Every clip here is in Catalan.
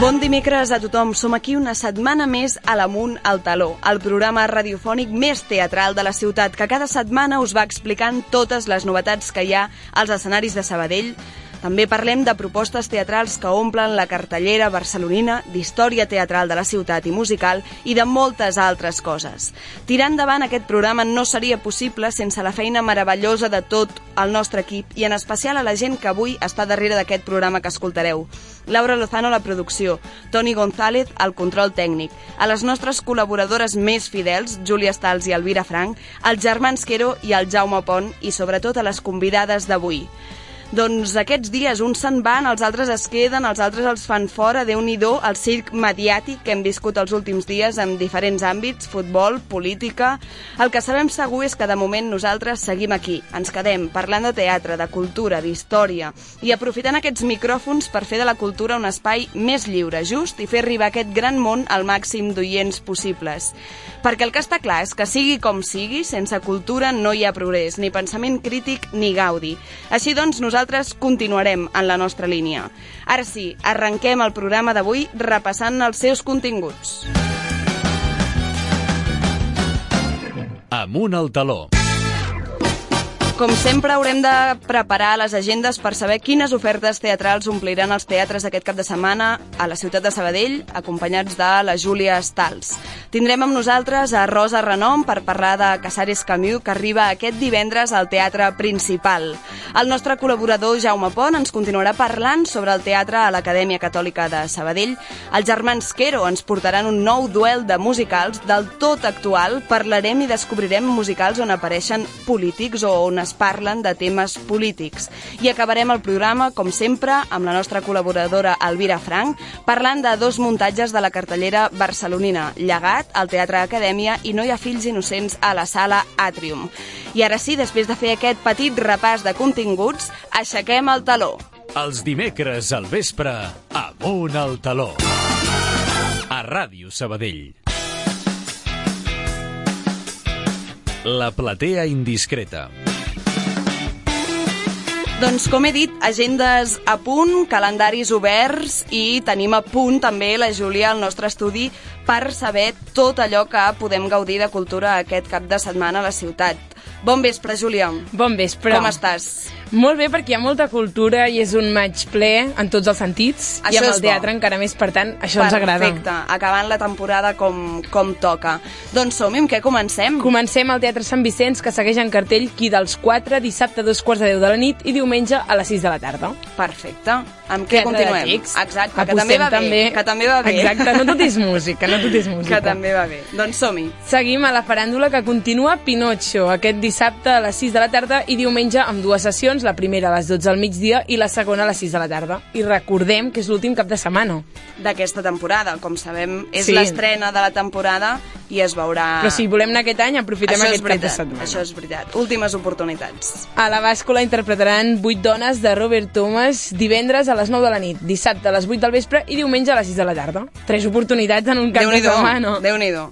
Bon dimecres a tothom. Som aquí una setmana més a l'Amunt al Taló, el programa radiofònic més teatral de la ciutat, que cada setmana us va explicant totes les novetats que hi ha als escenaris de Sabadell. També parlem de propostes teatrals que omplen la cartellera barcelonina, d'història teatral de la ciutat i musical i de moltes altres coses. Tirar endavant aquest programa no seria possible sense la feina meravellosa de tot el nostre equip i en especial a la gent que avui està darrere d'aquest programa que escoltareu. Laura Lozano a la producció, Toni González al control tècnic, a les nostres col·laboradores més fidels, Júlia Stals i Elvira Frank, als germans Quero i al Jaume Pont i sobretot a les convidades d'avui. Doncs aquests dies uns se'n van, els altres es queden, els altres els fan fora, Déu-n'hi-do, el circ mediàtic que hem viscut els últims dies en diferents àmbits, futbol, política. El que sabem segur és que de moment nosaltres seguim aquí, ens quedem parlant de teatre, de cultura, d'història i aprofitant aquests micròfons per fer de la cultura un espai més lliure, just i fer arribar aquest gran món al màxim d'oients possibles. Perquè el que està clar és que sigui com sigui, sense cultura no hi ha progrés, ni pensament crític ni gaudi. Així doncs, nosaltres continuarem en la nostra línia. Ara sí, arrenquem el programa d'avui repassant els seus continguts. Amunt al taló. Com sempre, haurem de preparar les agendes per saber quines ofertes teatrals ompliran els teatres aquest cap de setmana a la ciutat de Sabadell, acompanyats de la Júlia Stals. Tindrem amb nosaltres a Rosa Renom per parlar de Casares Camus, que arriba aquest divendres al Teatre Principal. El nostre col·laborador Jaume Pont ens continuarà parlant sobre el teatre a l'Acadèmia Catòlica de Sabadell. Els germans Quero ens portaran un nou duel de musicals del tot actual. Parlarem i descobrirem musicals on apareixen polítics o on es parlen de temes polítics. I acabarem el programa, com sempre, amb la nostra col·laboradora Elvira Frank, parlant de dos muntatges de la cartellera barcelonina, Llegat, al Teatre Acadèmia i No hi ha fills innocents a la Sala Àtrium. I ara sí, després de fer aquest petit repàs de continguts, aixequem el taló. Els dimecres al vespre, Amunt al taló. A Ràdio Sabadell. La platea indiscreta. Doncs, com he dit, agendes a punt, calendaris oberts i tenim a punt també la Júlia al nostre estudi per saber tot allò que podem gaudir de cultura aquest cap de setmana a la ciutat. Bon vespre, Júlia. Bon vespre. Com estàs? Molt bé, perquè hi ha molta cultura i és un maig ple en tots els sentits. Això i amb és el teatre encara més, per tant, això ens agrada. Perfecte, acabant la temporada com toca. Doncs som-hi, amb què comencem? Comencem al Teatre Sant Vicenç, que segueix en cartell Qui dels 4, dissabte a 2:45 de la nit i diumenge a les 6 de la tarda. Perfecte. Amb què continuem? Exacte, que Apostem també va bé. Exacte, no tot és música, Que també va bé. Doncs som-hi. Seguim a la faràndula, que continua Pinocho, aquest dissabte a les 6 de la tarda i diumenge amb dues sessions, la primera a les 12 al migdia i la segona a les 6 de la tarda. I recordem que és l'últim cap de setmana d'aquesta temporada. Com sabem, és l'estrena de la temporada i es veurà... Però si volem anar aquest any, aprofitem aquest cap de setmana. Això és veritat. Últimes oportunitats. A la bàscula interpretaran 8 dones de Robert Thomas divendres a les 9 de la nit, dissabte a les 8 del vespre i diumenge a les 6 de la tarda. 3 oportunitats en un cap de setmana. Déu-n'hi-do.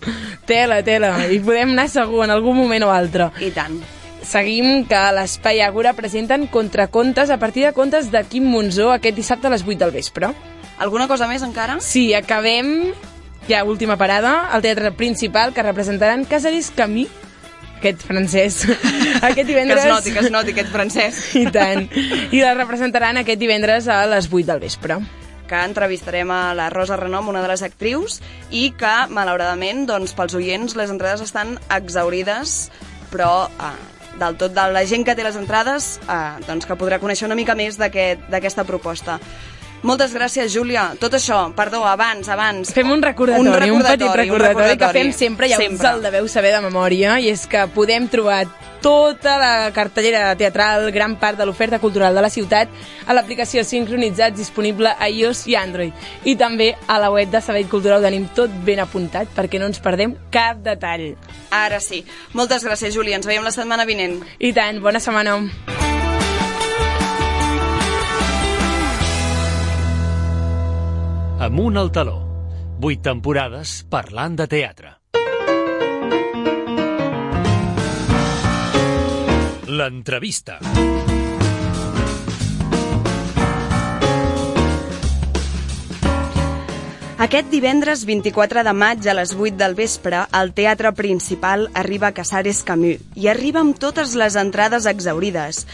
Tela. I podem anar segur en algun moment o altre. I tant. Seguim que a l'Espai Àgora presenten Contracontes a partir de contes de Quim Monzó aquest dissabte a les 8 del vespre. Alguna cosa més encara? Sí, acabem, ja última parada, al Teatre Principal, que representaran Casares Camus, aquest francès, aquest divendres... Que es noti aquest francès. I tant. I la representaran aquest divendres a les 8 del vespre. Que entrevistarem a la Rosa Renom, una de les actrius, i que, malauradament, doncs, pels oients, les entrades estan exaurides, però... del tot de la gent que té les entrades, doncs que podrà conèixer una mica més d'aquesta proposta. Moltes gràcies, Júlia. Tot això, perdó, abans... Fem un recordatori, un petit recordatori que fem sempre, ja us el deveu saber de memòria, i és que podem trobar tota la cartellera teatral, gran part de l'oferta cultural de la ciutat, a l'aplicació Sincronitzats disponible a iOS i Android. I també a la web de Sabadell Cultura ho tenim tot ben apuntat perquè no ens perdem cap detall. Ara sí. Moltes gràcies, Júlia. Ens veiem la setmana vinent. I tant, bona setmana. Amunt al taló. 8 temporades parlant de teatre. L'entrevista. Aquest divendres 24 de maig a les 8 del vespre, al Teatre Principal arriba Casares Camus i arriba amb totes les entrades exhaurides.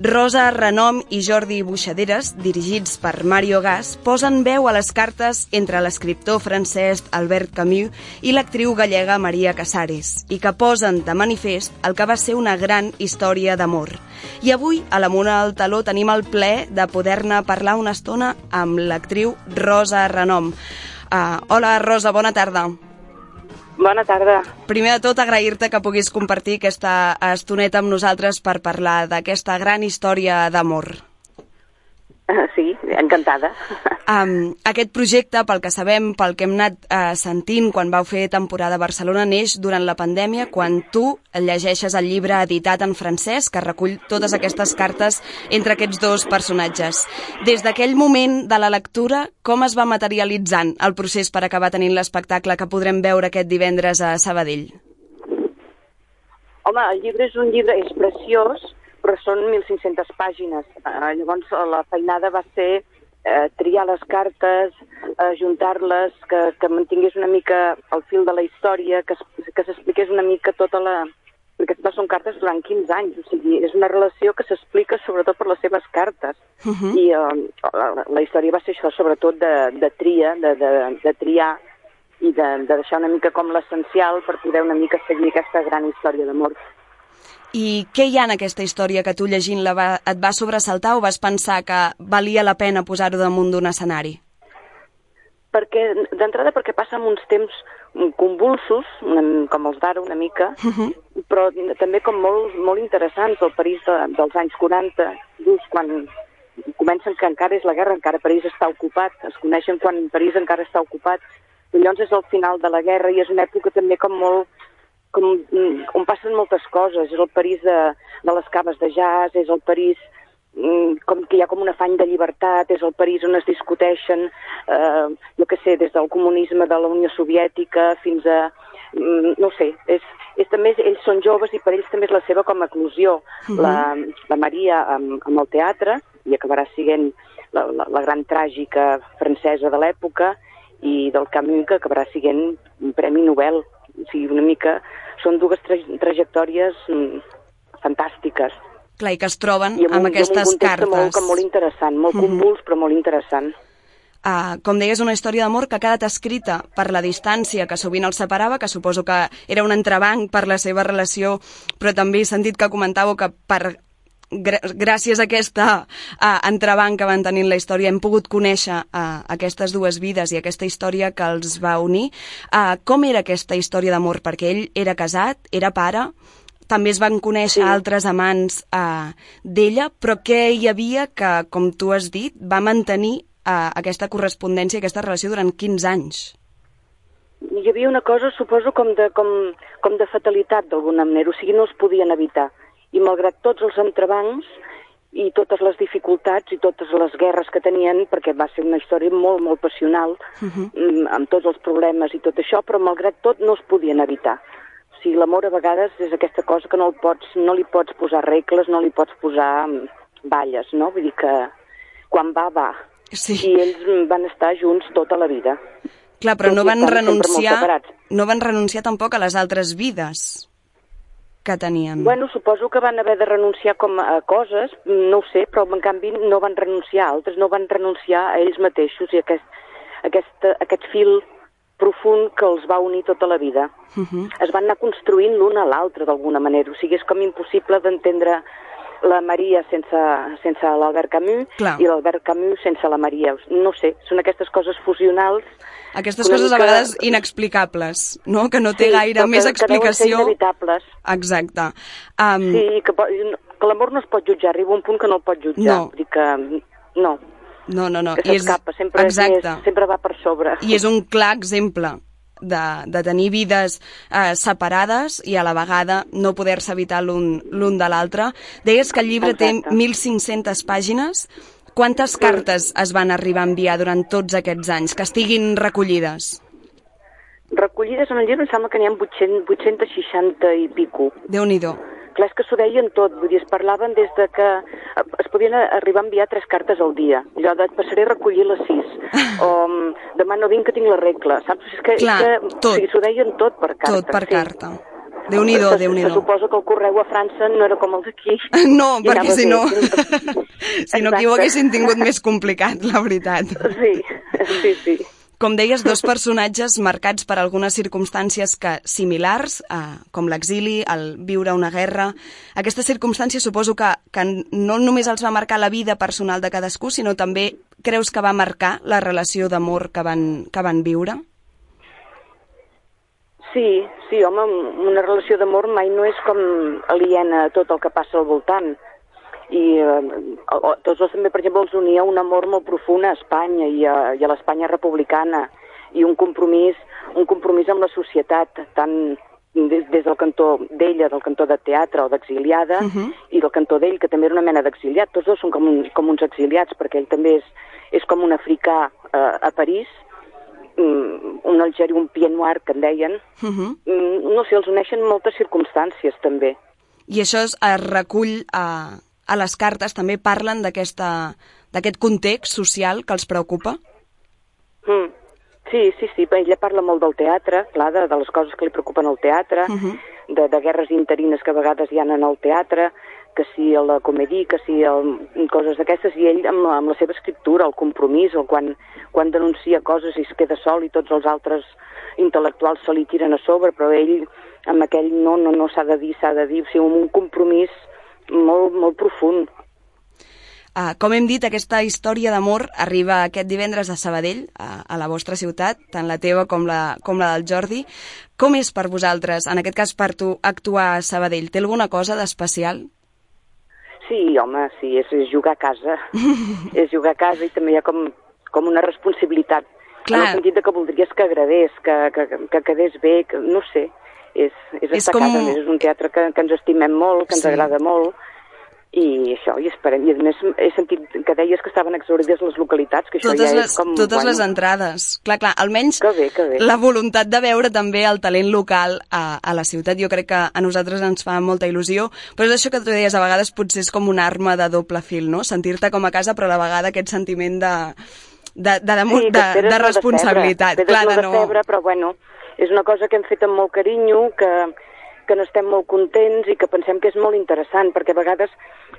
Rosa Renom i Jordi Buixaderes, dirigits per Mario Gas, posen veu a les cartes entre l'escriptor francès Albert Camus i l'actriu gallega Maria Casares, i que posen de manifest el que va ser una gran història d'amor. I avui, a l'Amunt al Taló, tenim el plaer de poder-ne parlar una estona amb l'actriu Rosa Renom. Hola, Rosa, bona tarda. Bona tarda. Primer de tot, agrair-te que puguis compartir aquesta estoneta amb nosaltres per parlar d'aquesta gran història d'amor. Sí, encantada. Aquest projecte, pel que sabem, pel que hem anat sentint quan vau fer temporada a Barcelona, neix durant la pandèmia, quan tu llegeixes el llibre editat en francès que recull totes aquestes cartes entre aquests dos personatges. Des d'aquell moment de la lectura, com es va materialitzant el procés per acabar tenint l'espectacle que podrem veure aquest divendres a Sabadell? Home, el llibre és preciós, però són 1.500 pàgines. Llavors la feinada va ser triar les cartes, juntar-les, que mantingués una mica el fil de la història, que s'expliqués una mica tota la... Perquè són cartes durant 15 anys, o sigui, és una relació que s'explica sobretot per les seves cartes. I la història va ser això, sobretot de triar i de deixar una mica com l'essencial per poder una mica seguir aquesta gran història d'amor. I què hi ha en aquesta història que tu llegint-la et va sobresaltar o vas pensar que valia la pena posar-ho damunt d'un escenari? D'entrada perquè passa en uns temps convulsos, com els d'ara una mica, però també com molt interessants. El París dels anys 40, just quan comencen que encara és la guerra, encara París està ocupat, es coneixen quan París encara està ocupat, i llavors és el final de la guerra i és una època també on passen moltes coses. És el París de les caves de jazz, és el París que hi ha com un afany de llibertat, és el París on es discuteixen, jo què sé, des del comunisme de la Unió Soviètica fins a... no sé, també ells són joves i per ells també és la seva com a eclosió. La Maria amb el teatre, i acabarà sent la gran tràgica francesa de l'època, i del Camus, que acabarà sent un Premi Nobel. O sigui, una mica... Són dues trajectòries fantàstiques. Clar, i que es troben amb aquestes cartes. I amb un context molt interessant, molt convuls, però molt interessant. Com deies, una història d'amor que ha quedat escrita per la distància que sovint els separava, que suposo que era un entrebanc per la seva relació, però també he sentit que comentàveu que gràcies a aquesta entrebanc que van tenir la història hem pogut conèixer aquestes dues vides i aquesta història que els va unir. Com era aquesta història d'amor? Perquè ell era casat, era pare, també es van conèixer altres amants d'ella, però què hi havia que, com tu has dit, va mantenir aquesta correspondència, aquesta relació durant 15 anys? Hi havia una cosa, suposo, com de fatalitat d'alguna manera, o sigui, no es podien evitar. I malgrat tots els entrebancs i totes les dificultats i totes les guerres que tenien, perquè va ser una història molt, molt passional, amb tots els problemes i tot això, però malgrat tot no es podien evitar. O sigui, l'amor a vegades és aquesta cosa que no li pots posar regles, no li pots posar balles, no? Vull dir que quan va. Sí. I ells van estar junts tota la vida. Clar, però no van renunciar tampoc a les altres vides que tenien. Bueno, suposo que van haver de renunciar a coses, no ho sé, però en canvi no van renunciar a altres, no van renunciar a ells mateixos i aquest fil profund que els va unir tota la vida. Es van anar construint l'un a l'altre d'alguna manera, o sigui, és com impossible d'entendre la Maria sense l'Albert Camus. Clar. I l'Albert Camus sense la Maria. No sé, són aquestes coses fusionals. Aquestes coses a vegades inexplicables, no? Que no té gaire més explicació. Que deuen ser inevitables. Exacte. Sí, que l'amor no es pot jutjar, arriba un punt que no el pot jutjar. No. Vull dir que no. No. Que s'escapa, sempre va per sobre. I és un clar exemple de tenir vides separades i a la vegada no poder-se evitar l'un de l'altre. Deies que el llibre té 1.500 pàgines. Quantes cartes es van arribar a enviar durant tots aquests anys, que estiguin recollides? Recollides en el llibre em sembla que n'hi ha 860 i pico. Déu-n'hi-do. Clar, és que s'ho deien tot, vull dir, es parlaven des de que es podien arribar a enviar 3 cartes al dia. Allò de passaré a recollir les 6, o demà no vinc que tinc la regla, saps? Clar, tot. O sigui, s'ho deien tot per carta. Tot per carta. Déu-n'hi-do, Déu-n'hi-do. Se suposa que el correu a França no era com el d'aquí. No, perquè si no... Si no, aquí ho haguessin tingut més complicat, la veritat. Sí. Com deies, 2 personatges marcats per algunes circumstàncies similars, com l'exili, el viure una guerra. Aquestes circumstàncies suposo que no només els va marcar la vida personal de cadascú, sinó també creus que va marcar la relació d'amor que van viure? Sí, home, una relació d'amor mai no és com aliena a tot el que passa al voltant. I tots dos també, per exemple, els unia un amor molt profund a Espanya i a l'Espanya republicana i un compromís amb la societat, tant des del cantó d'ella, del cantó de teatre o d'exiliada, i del cantó d'ell, que també era una mena d'exiliat. Tots dos són com uns exiliats, perquè ell també és com un africà a París, un algeri, un pied noir, que en deien. No sé, els uneixen moltes circumstàncies, també. I això es recull a les cartes, també parlen d'aquest context social que els preocupa? Sí, ella parla molt del teatre, clar, de les coses que li preocupen al teatre, de guerres interines que a vegades hi ha en el teatre, que si a la comèdia, que si coses d'aquestes, i ell amb la seva escriptura, el compromís, quan denuncia coses i es queda sol i tots els altres intel·lectuals se li tiren a sobre, però ell amb aquell no s'ha de dir, o sigui, un compromís molt, molt profund. Com hem dit, aquesta història d'amor arriba aquest divendres a Sabadell, a la vostra ciutat, tant la teva com la del Jordi. Com és per vosaltres, en aquest cas per tu, actuar a Sabadell? Té alguna cosa d'especial? Sí, home, sí, és jugar a casa. És jugar a casa i també hi ha com una responsabilitat. Clar. En el sentit que voldries que agradés, que quedés bé, que, no sé, és estar a casa. És un teatre que ens estimem molt, que ens agrada molt, i això, i esperem. I a més he sentit que deies que estaven exhaurides les localitats, que això és com... Totes les entrades. Clar, almenys que bé. La voluntat de veure també el talent local a la ciutat, jo crec que a nosaltres ens fa molta il·lusió, però és això que tu deies, a vegades potser és com una arma de doble fil, no? Sentir-te com a casa, però a la vegada aquest sentiment de responsabilitat. Clar, de febre, però bueno, és una cosa que hem fet amb molt carinyo, que n'estem molt contents i que pensem que és molt interessant, perquè a vegades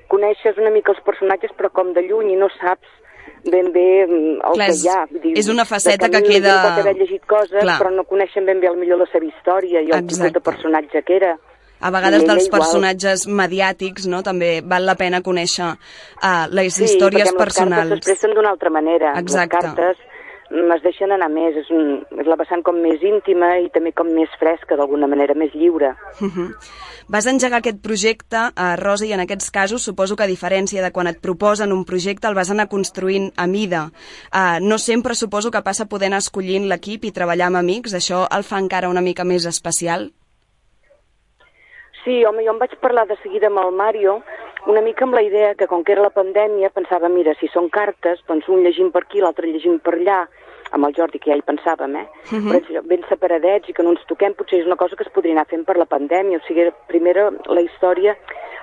coneixes una mica els personatges però com de lluny i no saps ben bé que hi ha. És una faceta que queda... Pot haver llegit coses, però no coneixen ben bé millor la seva història i el tipus de personatge que era. A vegades dels personatges mediàtics, no? També val la pena conèixer les històries personals. Sí, perquè les cartes s'expressen d'una altra manera. Exacte. Les cartes es deixen anar més, és la vessant com més íntima i també com més fresca d'alguna manera, més lliure. Vas engegar aquest projecte, Rosa, i en aquests casos suposo que a diferència de quan et proposen un projecte el vas anar construint a mida. No sempre suposo que passa poder anar escollint l'equip i treballar amb amics, això el fa encara una mica més especial? Sí, home, jo em vaig parlar de seguida amb el Mario, una mica amb la idea que, com que era la pandèmia, pensava, mira, si són cartes, doncs un llegim per aquí, l'altre llegim per allà, amb el Jordi, que ja hi pensàvem, però ben separadets i que no ens toquem, potser és una cosa que es podria anar fent per la pandèmia, o sigui, primera la història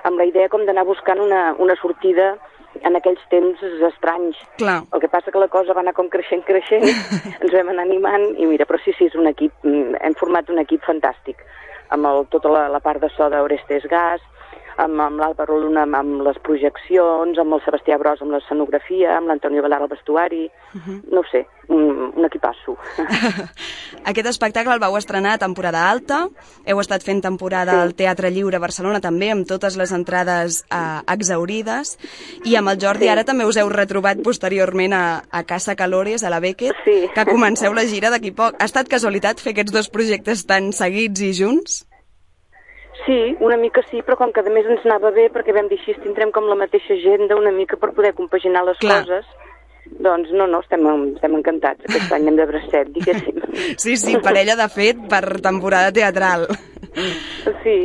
amb la idea com d'anar buscant una sortida en aquells temps estranys. Clar. El que passa que la cosa va anar com creixent, ens vam anar animant, i mira, però sí, és un equip, hem format un equip fantàstic, amb tota la part de so d'Orestes Gas, amb l'Àlvaro Luna amb les projeccions, amb el Sebastià Bros amb l'escenografia, amb l'Antonio Velar al vestuari, no ho sé, un equipasso. Aquest espectacle el vau estrenar a temporada alta, heu estat fent temporada al Teatre Lliure Barcelona també, amb totes les entrades exhaurides, i amb el Jordi ara també us heu retrobat posteriorment a Casa Calores, a la Beckett, que comenceu la gira d'aquí poc. Ha estat casualitat fer aquests dos projectes tan seguits i junts? Sí, una mica sí, però com que a més ens anava bé, perquè vam dir així, tindrem com la mateixa agenda una mica per poder compaginar les coses, doncs no, estem encantats. Aquest any hem de bracet, diguéssim. Sí, parella de fet per temporada teatral. Sí.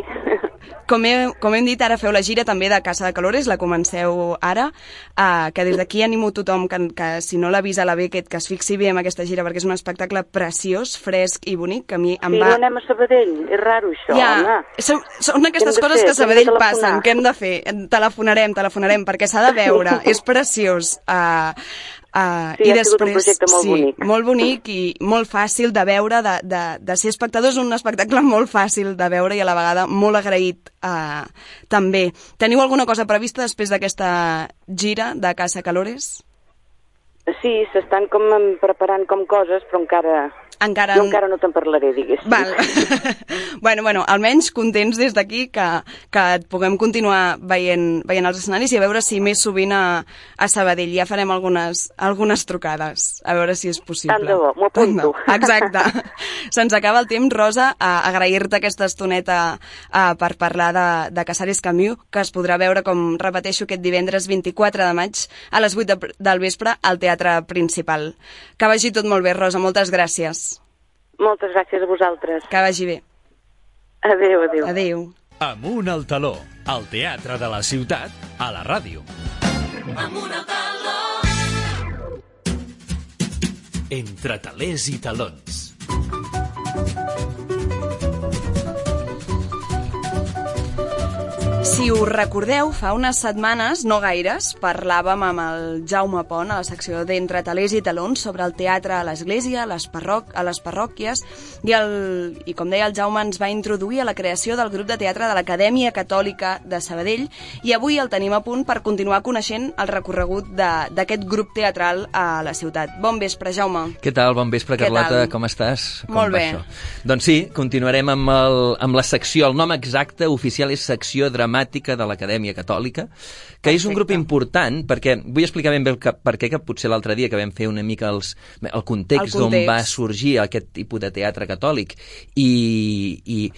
Com hem dit, ara feu la gira també de Casa de Calores, la comenceu ara, que des d'aquí animo tothom que si no l'ha vist a la Beckett, que es fixi bé en aquesta gira, perquè és un espectacle preciós, fresc i bonic, que a mi em va... Sí, no anem a Sabadell, és raro això, home. Són aquestes coses que a Sabadell passen, què hem de fer? Telefonarem, perquè s'ha de veure, és preciós. Sí, i ha sigut un projecte molt bonic. Molt bonic i molt fàcil de veure, de ser espectadors, un espectacle molt fàcil de veure i a la vegada molt agraït també. Teniu alguna cosa prevista després d'aquesta gira de Casa Calores? Sí, s'estan com preparant com coses, però jo encara no te'n parlaré, diguéssim. Val. Bueno, almenys contents des d'aquí que et puguem continuar veient els escenaris i a veure si més sovint a Sabadell. Ja farem algunes trucades, a veure si és possible. Tant de bo, m'ho apunto. Exacte. Se'ns acaba el temps, Rosa, agrair-te aquesta estoneta per parlar de Casares Camus, que es podrà veure, com repeteixo, aquest divendres 24 de maig a les 8 del vespre al Teatre Principal. Que vagi tot molt bé, Rosa, moltes gràcies. Moltes gràcies a vosaltres. Que vagi bé. Adéu, adéu. Adéu. Amunt al taló, al Teatre de la Ciutat, a la ràdio. Amunt al taló. Entre talers i talons. Si us recordeu, fa unes setmanes, no gaires, parlàvem amb el Jaume Pont a la secció d'Entre talers i talons sobre el teatre a l'església, a les parròquies, i com deia el Jaume, ens va introduir a la creació del grup de teatre de l'Acadèmia Catòlica de Sabadell, i avui el tenim a punt per continuar coneixent el recorregut d'aquest grup teatral a la ciutat. Bon vespre, Jaume. Què tal? Bon vespre, Carlota. Com estàs? Molt bé. Doncs sí, continuarem amb la secció. El nom exacte oficial és Secció Dramàtica de l'Acadèmia Catòlica, que és un grup important, perquè vull explicar ben bé per què, que potser l'altre dia que vam fer una mica el context d'on va sorgir aquest tipus de teatre catòlic i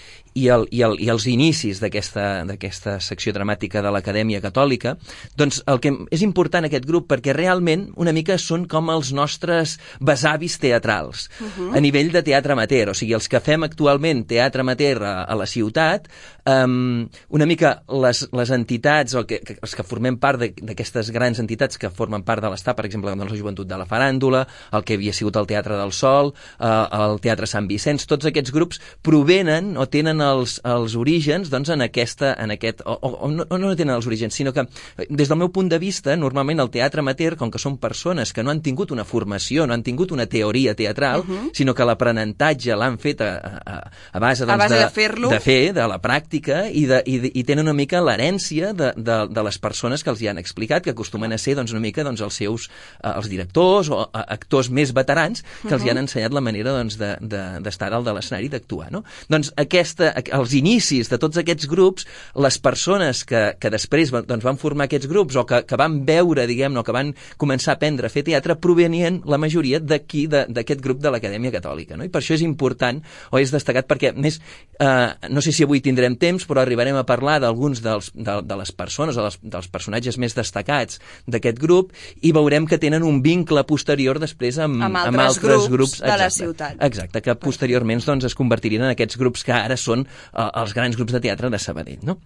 els inicis d'aquesta secció dramàtica de l'Acadèmia Catòlica, doncs el que és important aquest grup, perquè realment una mica són com els nostres besavis teatrals, a nivell de teatre amateur, o sigui, els que fem actualment teatre amateur a la ciutat, una mica les entitats, o els que formem part d'aquestes grans entitats que formen part de l'Estat, per exemple, la Joventut de la Faràndula, el que havia sigut el Teatre del Sol, el Teatre Sant Vicenç, tots aquests grups provenen o tenen els orígens doncs, no tenen els orígens, sinó que des del meu punt de vista, normalment el teatre amateur, com que són persones que no han tingut una formació, no han tingut una teoria teatral, sinó que l'aprenentatge l'han fet a base de fer-lo, de la pràctica, i tenen una mica l'herència de les persones que els hi han explicat, que acostumen a ser doncs, una mica doncs, els directors o actors més veterans que els hi han ensenyat la manera doncs, d'estar dalt de l'escenari i d'actuar. No? Doncs els inicis de tots aquests grups, les persones que després doncs, van formar aquests grups o que van veure, diguem-ne, o que van començar a aprendre a fer teatre, provenien la majoria d'aquí, d'aquest grup de l'Acadèmia Catòlica. No? I per això és important, o és destacat, perquè més, no sé si avui tindrem temps, però arribarem a parlar d'alguns de les persones o dels personatges més destacats d'aquest grup i veurem que tenen un vincle posterior després amb altres grups de la ciutat. Exacte, que posteriorment doncs, es convertirien en aquests grups que ara són els grans grups de teatre de Sabadell, no?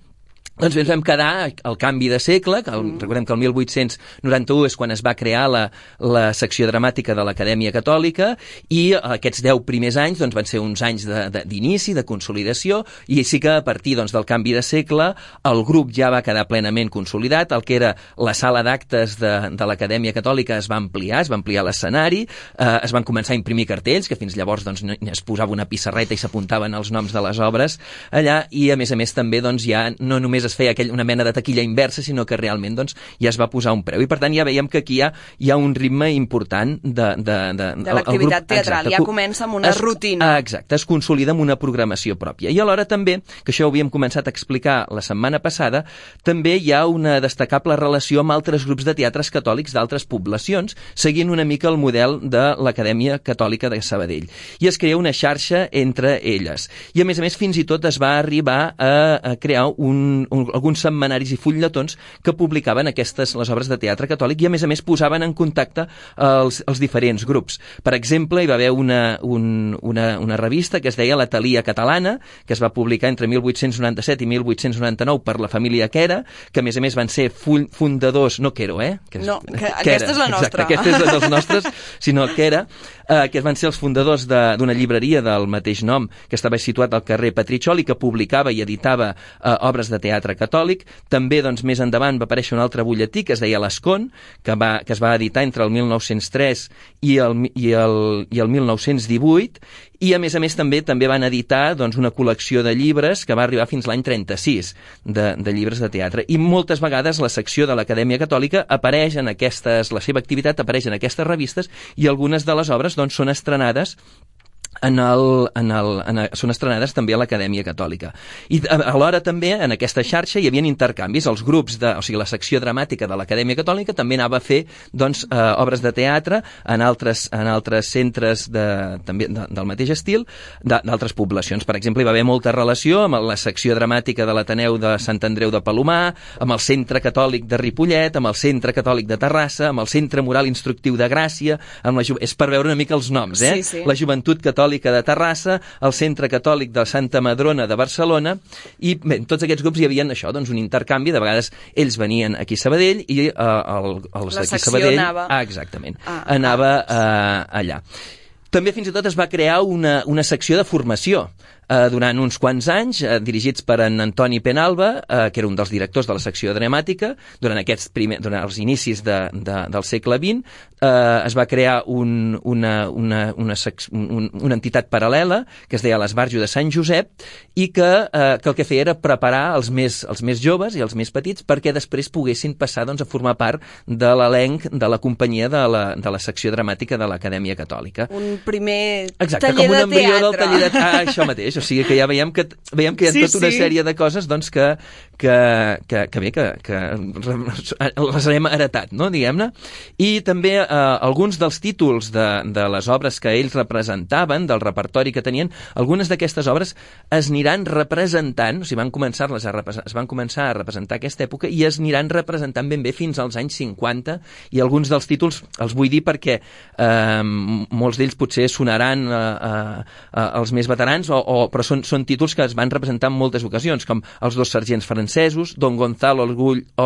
Doncs ens vam quedar al canvi de segle, recordem que el 1891 és quan es va crear la secció dramàtica de l'Acadèmia Catòlica, i aquests 10 primers anys doncs, van ser uns anys d'inici, de consolidació, i sí que a partir doncs, del canvi de segle el grup ja va quedar plenament consolidat. El que era la sala d'actes de l'Acadèmia Catòlica es va ampliar l'escenari, es van començar a imprimir cartells, que fins llavors doncs, es posava una pissarreta i s'apuntaven els noms de les obres allà, i a més també doncs, ja no només es feia una mena de taquilla inversa, sinó que realment doncs, ja es va posar un preu. I per tant ja veiem que aquí hi ha un ritme important de l'activitat teatral. Exacte, ja comença amb una rutina. Exacte, es consolida amb una programació pròpia. I alhora també, que això ho havíem començat a explicar la setmana passada, també hi ha una destacable relació amb altres grups de teatres catòlics d'altres poblacions, seguint una mica el model de l'Acadèmia Catòlica de Sabadell. I es crea una xarxa entre elles. I a més, fins i tot es va arribar a crear alguns setmanaris i fulletons que publicaven les obres de teatre catòlic i, a més, posaven en contacte els diferents grups. Per exemple, hi va haver una revista que es deia La Talia Catalana, que es va publicar entre 1897 i 1899 per la família Quera, que, a més, van ser fundadors... No Quero, No, aquesta és la nostra. Exacte, aquesta és dels nostres, sinó Quera, que van ser els fundadors d'una llibreria del mateix nom, que estava situat al carrer Petriccioli, que publicava i editava obres de teatre catòlic. També, doncs, més endavant va aparèixer un altre butlletí que es deia L'Escon, que es va editar entre el 1903 i el 1918, i a més també van editar una col·lecció de llibres que va arribar fins l'any 36 de llibres de teatre. I moltes vegades la secció de l'Acadèmia Catòlica apareix la seva activitat apareix en aquestes revistes, i algunes de les obres són estrenades són estrenades també a l'Acadèmia Catòlica. I alhora també en aquesta xarxa hi havia intercanvis. Els grups, o sigui, la secció dramàtica de l'Acadèmia Catòlica també anava a fer obres de teatre en altres centres també del mateix estil, d'altres poblacions. Per exemple, hi va haver molta relació amb la secció dramàtica de l'Ateneu de Sant Andreu de Palomar, amb el Centre Catòlic de Ripollet, amb el Centre Catòlic de Terrassa, amb el Centre Moral Instructiu de Gràcia, és per veure una mica els noms, Sí. La Joventut Catòlica de Terrassa, el Centre Catòlic de Santa Madrona de Barcelona, i bé, en tots aquests grups hi havia això, un intercanvi. De vegades ells venien aquí a Sabadell i els d'aquí a Sabadell anava allà. També fins i tot es va crear una secció de formació durant uns quants anys, dirigits per en Antoni Penalba, que era un dels directors de la secció dramàtica. Durant els inicis del segle XX es va crear una entitat paral·lela que es deia l'Esbarjo de Sant Josep, i que el que feia era preparar els més joves i els més petits perquè després poguessin passar a formar part de l'elenc de la companyia de la secció dramàtica de l'Acadèmia Catòlica. Un primer taller com un embrió del taller de teatre. Això mateix, o sigui que ja veiem que hi ha tota una sèrie de coses que les hem heretat, no, diguem-ne. I també alguns dels títols de les obres que ells representaven, del repertori que tenien, algunes d'aquestes obres es aniran representant, o sigui, es van començar a representar aquesta època i es aniran representant ben bé fins als anys 50, i alguns dels títols els vull dir perquè molts d'ells potser sonaran als més veterans, però són títols que es van representar en moltes ocasions, com Els dos sergents francesos, Don Gonzalo o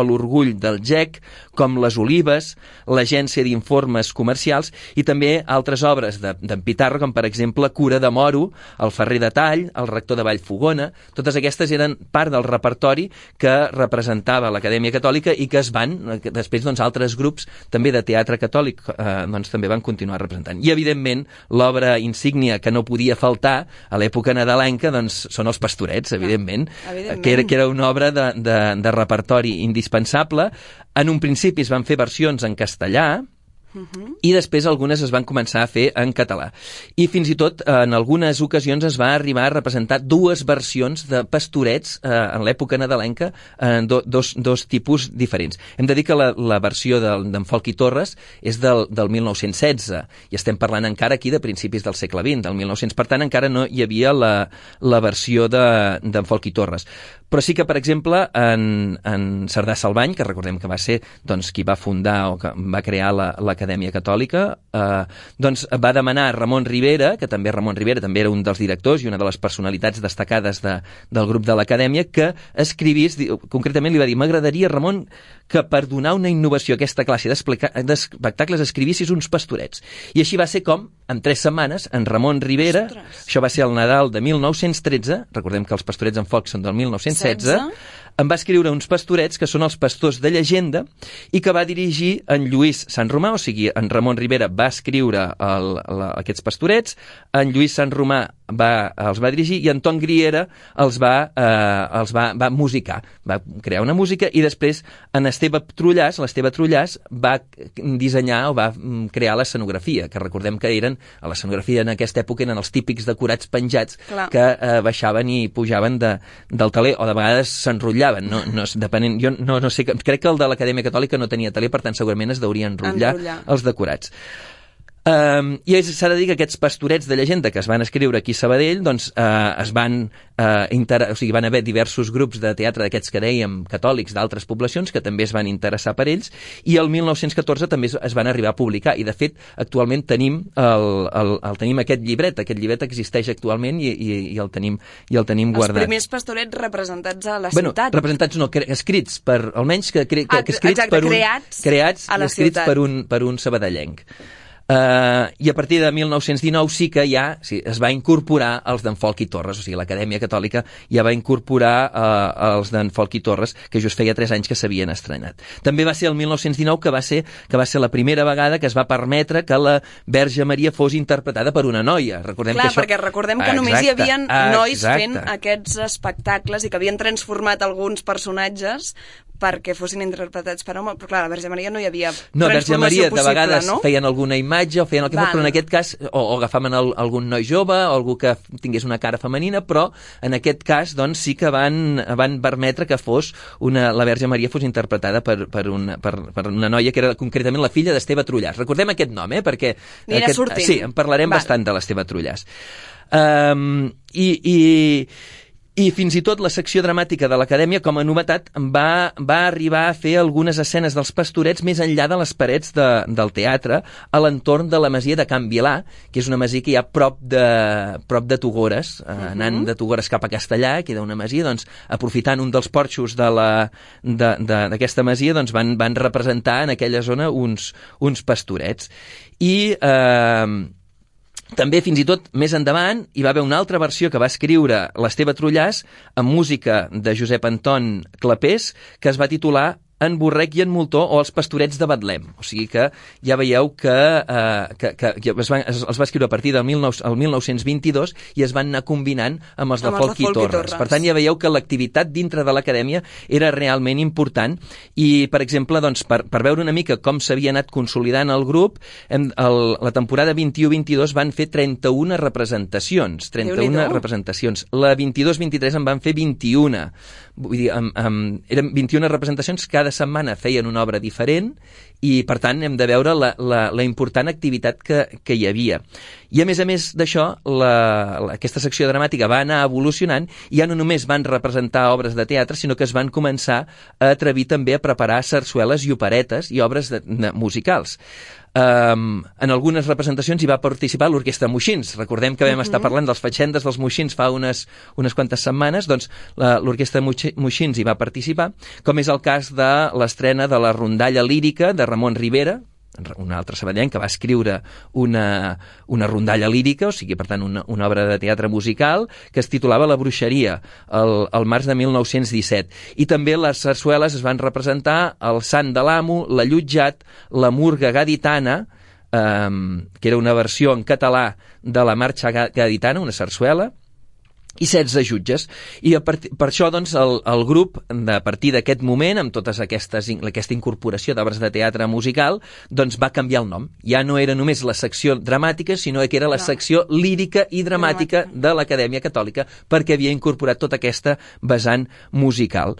l'orgull del GEC, com Les olives, l'Agència d'informes comercials, i també altres obres d'en Pitarra, com per exemple Cura de Moro, El ferrer de Tall, El rector de Vallfogona. Totes aquestes eren part del repertori que representava l'Acadèmia Catòlica i que després altres grups també de teatre catòlic també van continuar representant. I evidentment l'obra insígnia que no podia faltar a l'època nadalenca són Els pastorets, evidentment, que era una obra de repertori indispensable. En un principi es van fer versions en castellà, i després algunes es van començar a fer en català. I fins i tot en algunes ocasions es va arribar a representar dues versions de pastorets en l'època nadalenca, dos tipus diferents. Hem de dir que la versió d'en Folch i Torres és del 1916, i estem parlant encara aquí de principis del segle XX, del 1900. Per tant, encara no hi havia la versió d'en Folch i Torres. Però sí que, per exemple, en Cerdà Salvany, que recordem que va ser qui va fundar o que va crear l'Acadèmia Catòlica, va demanar a Ramon Rivera, que també Ramon Rivera també era un dels directors i una de les personalitats destacades del grup de l'Acadèmia, que escrivís, concretament li va dir: m'agradaria, Ramon, que per donar una innovació a aquesta classe d'espectacles escrivissis uns pastorets. I així va ser com, en 3 setmanes, en Ramon Rivera, això va ser el Nadal de 1913, recordem que els pastorets en Folch són del 1916, em va escriure uns pastorets que són els pastors de llegenda i que va dirigir en Lluís Sant Romà, o sigui, en Ramon Rivera va escriure aquests pastorets, en Lluís Sant Romà els va dirigir i Anton Griera els va musicar, va crear una música, i després l'Esteve Trullàs va dissenyar o va crear l'escenografia, que recordem que a l'escenografia en aquesta època eren els típics decorats penjats que baixaven i pujaven del teler, o de vegades s'enrotllaven. Depenent, jo no sé, crec que el de l'Acadèmia Catòlica no tenia teler, per tant segurament es deurien enrotllar els decorats. I s'ha de dir que aquests pastorets de llegenda que es van escriure aquí a Sabadell doncs, van haver diversos grups de teatre d'aquests que dèiem catòlics d'altres poblacions que també es van interessar per ells, i el 1914 també es van arribar a publicar, i de fet actualment tenim aquest llibret existeix actualment i el tenim guardat. Els primers pastorets representats a la ciutat. Representats no, escrits per, almenys escrits creats a la ciutat per un sabadellenc. I a partir de 1919 sí que ja es va incorporar els d'en Folch i Torres, o sigui, l'Acadèmia Catòlica ja va incorporar els d'en Folch i Torres, que just feia 3 anys que s'havien estrenat. També va ser el 1919 que va ser la primera vegada que es va permetre que la Verge Maria fos interpretada per una noia. Perquè recordem que només hi havia nois fent aquests espectacles i que havien transformat alguns personatges perquè fossin interpretats per home, però clar, la Verge Maria no hi havia transformació Verge Maria possible, de vegades no? Feien alguna imatge o feien el que fos, però en aquest cas o agafaven algun noi jove o algú que tingués una cara femenina, però en aquest cas doncs sí que van permetre que fos la Verge Maria fos interpretada per una noia que era concretament la filla d'Esteve Trullàs. Recordem aquest nom, perquè sí, en parlarem bastant de l'Esteve Trullàs. I fins i tot la secció dramàtica de l'Acadèmia, com a novetat, va arribar a fer algunes escenes dels pastorets més enllà de les parets del teatre, a l'entorn de la masia de Can Vilà, que és una masia que hi ha prop de Togores, anant de Togores cap a Castellà, queda una masia, doncs, aprofitant un dels porxos d'aquesta masia, doncs, van representar en aquella zona uns pastorets. I també, fins i tot, més endavant, hi va haver una altra versió que va escriure l'Esteve Trullàs amb música de Josep Anton Clapés, que es va titular En Borrec i en Moltó o Els pastorets de Betlem. O sigui que ja veieu que els va escriure a partir del 1922 i es van anar combinant amb els de Folch i Torres. Per tant, ja veieu que l'activitat dintre de l'Acadèmia era realment important i, per exemple, doncs, per veure una mica com s'havia anat consolidant el grup, la temporada 21-22 van fer 31 representacions. 31 representacions. La 22-23 en van fer 21. Vull dir, eren 21 representacions, cada setmana feien una obra diferent i, per tant, hem de veure la important activitat que hi havia. I, a més d'això, aquesta secció dramàtica va anar evolucionant i ja no només van representar obres de teatre, sinó que es van començar a atrevir també a preparar sarsueles i operetes i obres musicals. En algunes representacions hi va participar l'Orquestra Moixins. Recordem que vam estar parlant dels Fatxendes dels Moixins fa unes quantes setmanes, doncs l'Orquestra Moixins hi va participar, com és el cas de l'estrena de la rondalla lírica de Ramon Rivera, un altre sabadellenc que va escriure una rondalla lírica, o sigui, per tant, una obra de teatre musical que es titulava La bruixeria, el març de 1917. I també les sarsueles es van representar El sant de l'amo, La Llutjat, La murga gaditana, que era una versió en català de la marxa gaditana, una sarsuela, i 16 jutges. I per això, doncs, el grup, a partir d'aquest moment, amb tota aquesta incorporació d'obres de teatre musical, doncs va canviar el nom. Ja no era només la secció dramàtica, sinó que era la secció lírica i dramàtica de l'Acadèmia Catòlica, perquè havia incorporat tota aquesta vessant musical.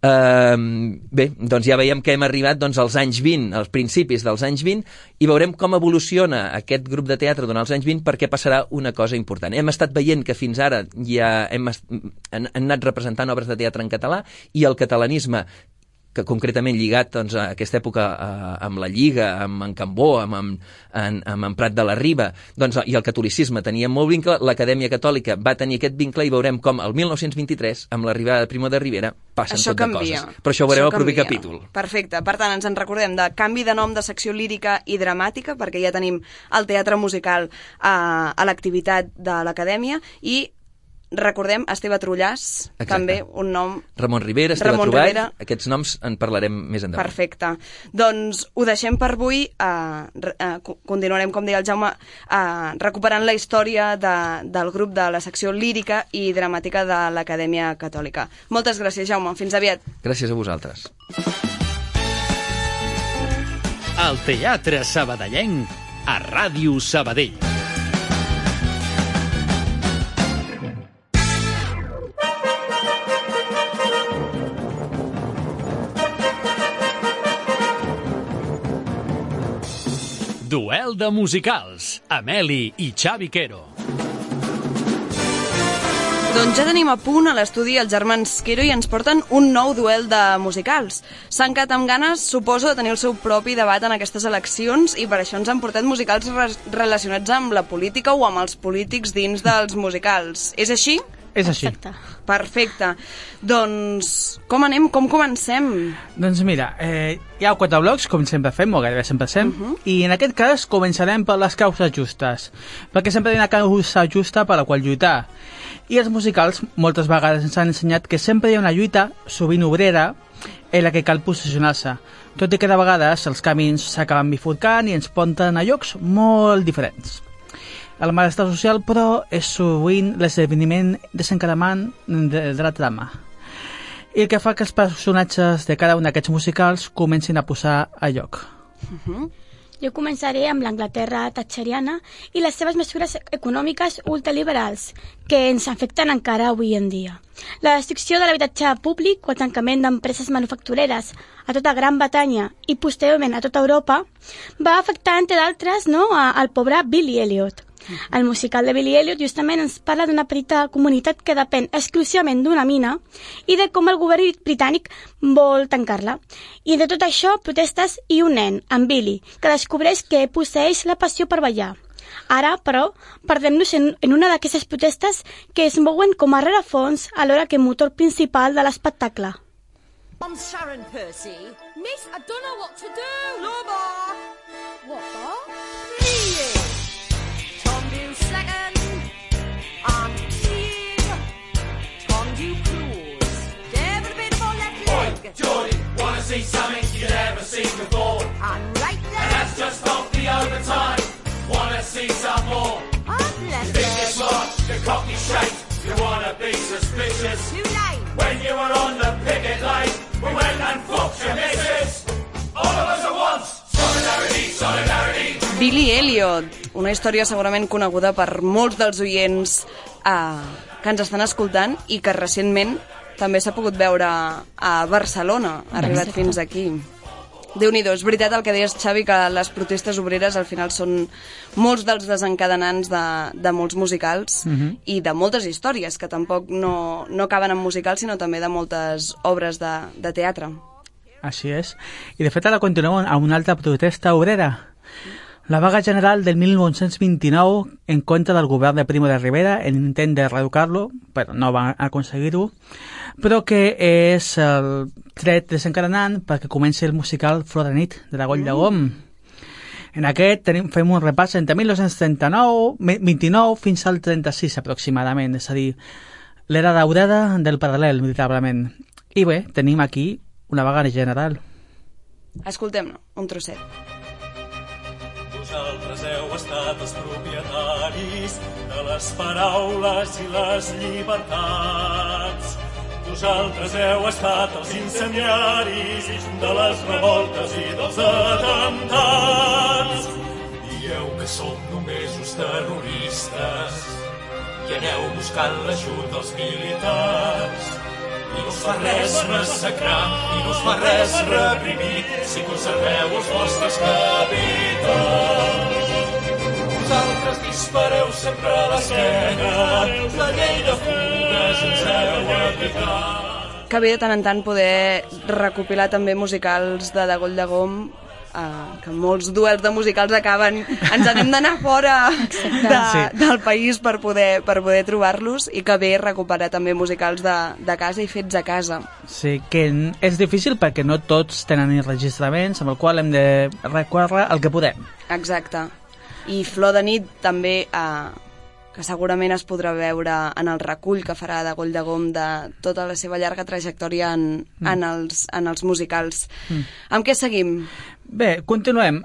Bé, doncs ja veiem que hem arribat als anys 20, als principis dels anys 20, i veurem com evoluciona aquest grup de teatre durant els anys 20, perquè passarà una cosa important. Hem estat veient que fins ara ja han anat representant obres de teatre en català i el catalanisme, que concretament lligat doncs, a aquesta època amb la Lliga, amb en Cambó, amb en Prat de la Riba, doncs, i el catolicisme tenia molt vincle, l'Acadèmia Catòlica va tenir aquest vincle i veurem com el 1923, amb l'arribada de Primo de Rivera, passen tot de coses. Però això ho veurem al proper capítol. Perfecte. Per tant, ens en recordem de canvi de nom de secció lírica i dramàtica, perquè ja tenim el teatre musical a l'activitat de l'Acadèmia, i recordem Esteve Trullàs, també un nom... Ramon Rivera, Esteve Truball, aquests noms en parlarem més endavant. Perfecte. Doncs ho deixem per avui. Continuarem, com deia el Jaume, recuperant la història del grup de la secció lírica i dramàtica de l'Acadèmia Catòlica. Moltes gràcies, Jaume. Fins aviat. Gràcies a vosaltres. El Teatre Sabadellenc a Ràdio Sabadell. Duel de musicals. Ameli i Xavi Quero. Doncs ja tenim a punt a l'estudi els germans Quero i ens porten un nou duel de musicals. S'han quedat amb ganes, suposo, de tenir el seu propi debat en aquestes eleccions i per això ens han portat musicals relacionats amb la política o amb els polítics dins dels musicals. És així? És així. Perfecte. Doncs com anem? Com comencem? Doncs mira, hi ha 4 blocs, com sempre fem, o gairebé sempre fem, i en aquest cas començarem per les causes justes, perquè sempre hi ha una causa justa per la qual lluitar. I els musicals moltes vegades ens han ensenyat que sempre hi ha una lluita, sovint obrera, en la que cal posicionar-se, tot i que de vegades els camins s'acaben bifurcant i ens porten a llocs molt diferents. El malestar social, però, és sovint l'esdeveniment desencadenant de la trama, i el que fa que els personatges de cada un d'aquests musicals comencin a posar a lloc. Jo començaré amb l'Anglaterra thatcheriana i les seves mesures econòmiques ultraliberals, que ens afecten encara avui en dia. La destrucció de l'habitatge públic o el tancament d'empreses manufactureres a tota Gran Bretanya i posteriorment a tota Europa va afectar, entre d'altres, al pobre Billy Elliot. El musical de Billy Elliot justament ens parla d'una petita comunitat que depèn exclusivament d'una mina i de com el govern britànic vol tancar-la. I de tot això, protestes i un nen, en Billy, que descobreix que posseeix la passió per ballar. Ara, però, perdem-nos en una d'aquestes protestes que es mouen com a rerefons alhora que motor principal de l'espectacle. I'm Sharon Percy. Miss, I don't know what to do. No, bar. What, bar? Please. Second, I'm Eve. Tom, you cruise. Never been more left leg. Oi, Geordie, wanna see something you've never seen before? I'm right there. And that's just off the overtime. Wanna see some more? I'm left You think you're smart, you're cocky shaped. You wanna be suspicious. Too late. When you were on the picket line, we went and fucked your missus. All of us at once. Solidarity, solidarity. Billy Elliot, una història segurament coneguda per molts dels oients que ens estan escoltant i que recentment també s'ha pogut veure a Barcelona, ha arribat fins aquí. Déu-n'hi-do, és veritat el que deies, Xavi, que les protestes obreres al final són molts dels desencadenants de molts musicals i de moltes històries, que tampoc no acaben en musicals, sinó també de moltes obres de teatre. Així és. I de fet ara continuem amb una altra protesta obrera. La vaga general del 1929 en contra del govern de Primo de Rivera en intent de reeducar-lo, però no van aconseguir-ho, però que és el tret desencadenant perquè comenci el musical Flor de nit, de la Goll de Gom. En aquest fem un repàs entre 1929 fins al 36 aproximadament, és a dir, l'era daurada del paral·lel, veritablement. I bé, tenim aquí una vaga general. Escoltem-ne, un trosset. Vosaltres heu estat els propietaris de les paraules i les llibertats. Vosaltres heu estat els incendiaris de les revoltes i dels atemptats. Dieu que som només uns terroristes i aneu buscant l'ajut dels militars. I no us fa res massacrar, i no us fa res reprimir, si conserveu els vostres capitals. Vosaltres dispareu sempre a l'esquena, la llei de fugues ens heu aplicat. Que bé de tant en tant poder recopilar també musicals de Goll de Gom, que molts duels de musicals acaben, ens n'hem d'anar fora del país per poder trobar-los, i que bé recuperar també musicals de casa i fets a casa. Sí, que és difícil perquè no tots tenen enregistraments amb el qual hem de recórrer el que podem. Exacte. I Flor de nit també, que segurament es podrà veure en el recull que farà de Goll de Gom de tota la seva llarga trajectòria en els musicals. Amb què seguim? Bé, continuem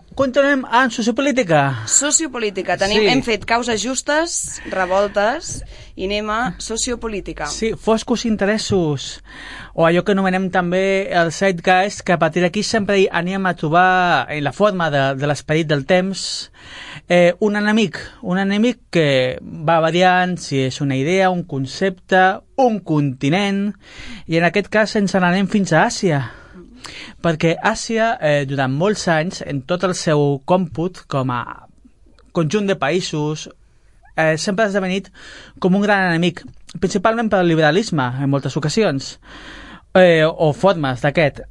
en sociopolítica. Sociopolítica. Hem fet causes justes, revoltes, i anem a sociopolítica. Sí, foscos interessos, o allò que anomenem també el zeitgeist, que a partir d'aquí sempre anem a trobar en la forma de l'esperit del temps un enemic que va variant si és una idea, un concepte, un continent, i en aquest cas ens n'anem fins a Àsia. perquè Àsia, durant molts anys, en tot el seu còmput, com a conjunt de països, sempre ha esdevenit com un gran enemic, principalment per al liberalisme, en moltes ocasions, o formes d'aquest.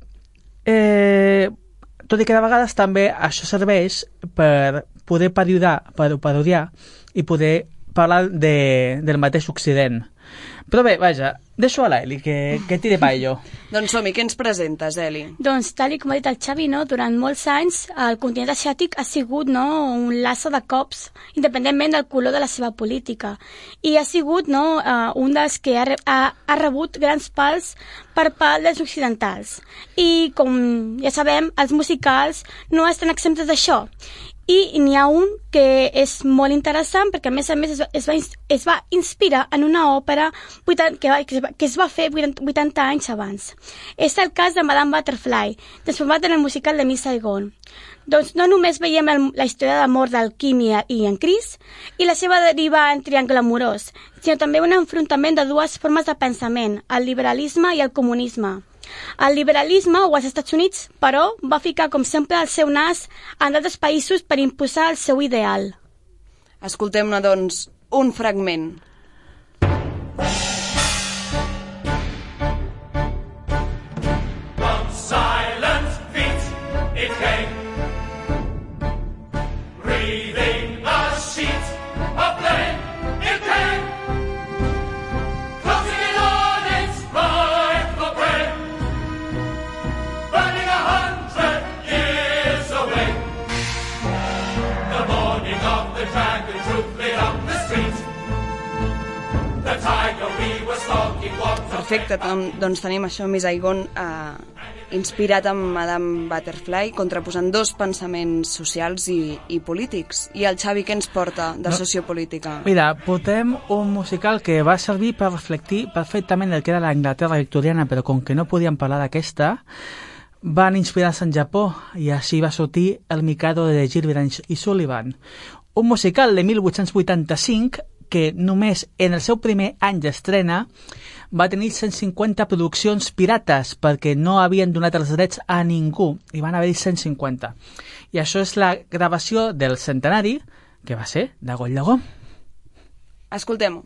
Tot i que de vegades també això serveix per poder parodiar i poder parlar del mateix Occident. Però bé, vaja, deixo a l'Eli, que tire pa jo. Doncs som-hi, què ens presentes, Eli? Doncs, tal com ha dit el Xavi, durant molts anys el continent asiàtic ha sigut un laço de cops, independentment del color de la seva política. I ha sigut un dels que ha rebut grans pals per part dels occidentals. I, com ja sabem, els musicals no estan exemptes d'això. I n'hi ha un que és molt interessant perquè, a més es va inspirar en una òpera que es va fer 80 anys abans. És el cas de Madame Butterfly, transformat en el musical de Miss Saigon. Doncs no només veiem la història d'amor del Kim i en Chris i la seva deriva en triangle amorós, sinó també un enfrontament de dues formes de pensament, el liberalisme i el comunisme. El liberalisme, o als Estats Units, però, va ficar, com sempre, el seu nas en altres països per imposar el seu ideal. Escoltem-ne, doncs, un fragment. From silent feet it came, breathing a sheet of flame it came, closing in on its rightful prey, burning 100 years away. The morning of the dragon truth lit up the street. The tiger we were stalking walked. Perfecte, doncs tenim això, Miss Saigon, inspirat en Madame Butterfly, contraposant dos pensaments socials i polítics. I el Xavi, què ens porta de sociopolítica? Mira, portem un musical que va servir per reflectir perfectament el que era l'Anglaterra victoriana, però com que no podíem parlar d'aquesta, van inspirar-se en Japó, i així va sortir El Mikado de Gilbert i Sullivan. Un musical de 1885 que només en el seu primer any d'estrena va tenir 150 produccions pirates perquè no havien donat els drets a ningú i van haver-hi 150. I això és la gravació del centenari, que va ser de Goll Llegó. Escoltem-ho.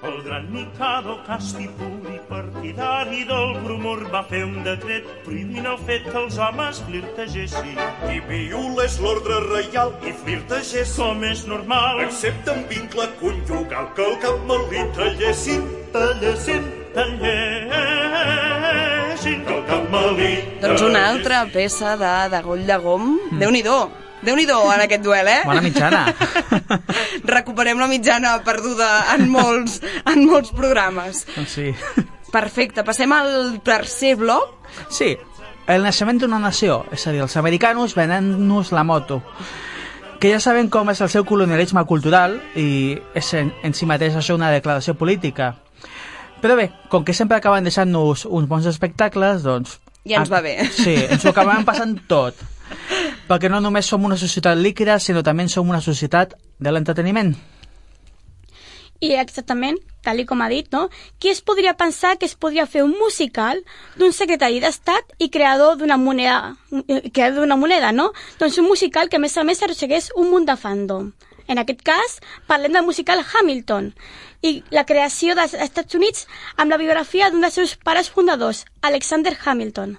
El gran Mikado Castipuri, partidari del bromur, va fer un decret prohibint el fet que els homes flirtegessin. Qui violés l'ordre reial i flirtegés, com és normal, excepte en vincle conjugal, que el cap malí tallessin, tallessin, que el cap malí. Doncs una altra peça de Goll de Gom. Déu-n'hi-do en aquest duel, eh? Bona mitjana. Recuperem la mitjana perduda en molts programes. Sí. Perfecte, passem al tercer bloc. Sí, el naixement d'una nació, és a dir, els americanos venent-nos la moto, que ja sabem com és el seu colonialisme cultural i és en si mateix això una declaració política. Però bé, com que sempre acaben deixant-nos uns bons espectacles, doncs... Ja ens va bé. Sí, ens ho acabem passant tot. Perquè no només som una societat líquida, sinó també som una societat de l'entreteniment. I exactament, tal com ha dit, qui es podria pensar que es podria fer un musical d'un secretari d'Estat i creador d'una moneda, no? Doncs un musical que, a més arrossegués un munt de fandom. En aquest cas, parlem del musical Hamilton i la creació dels Estats Units amb la biografia d'un dels seus pares fundadors, Alexander Hamilton.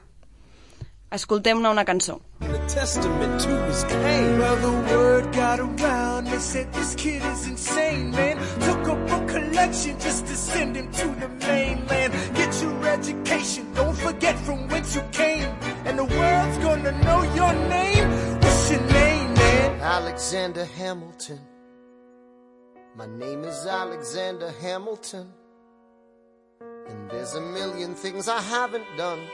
Escoltem-ne una cançó. A testament to his pain. Well, the word got around. They said this kid is insane, man. Took up a collection just to send him to the mainland. Get your education. Don't forget from whence you came. And the world's gonna know your name. What's your name, man? Alexander Hamilton. My name is Alexander Hamilton. And there's a million things I haven't done.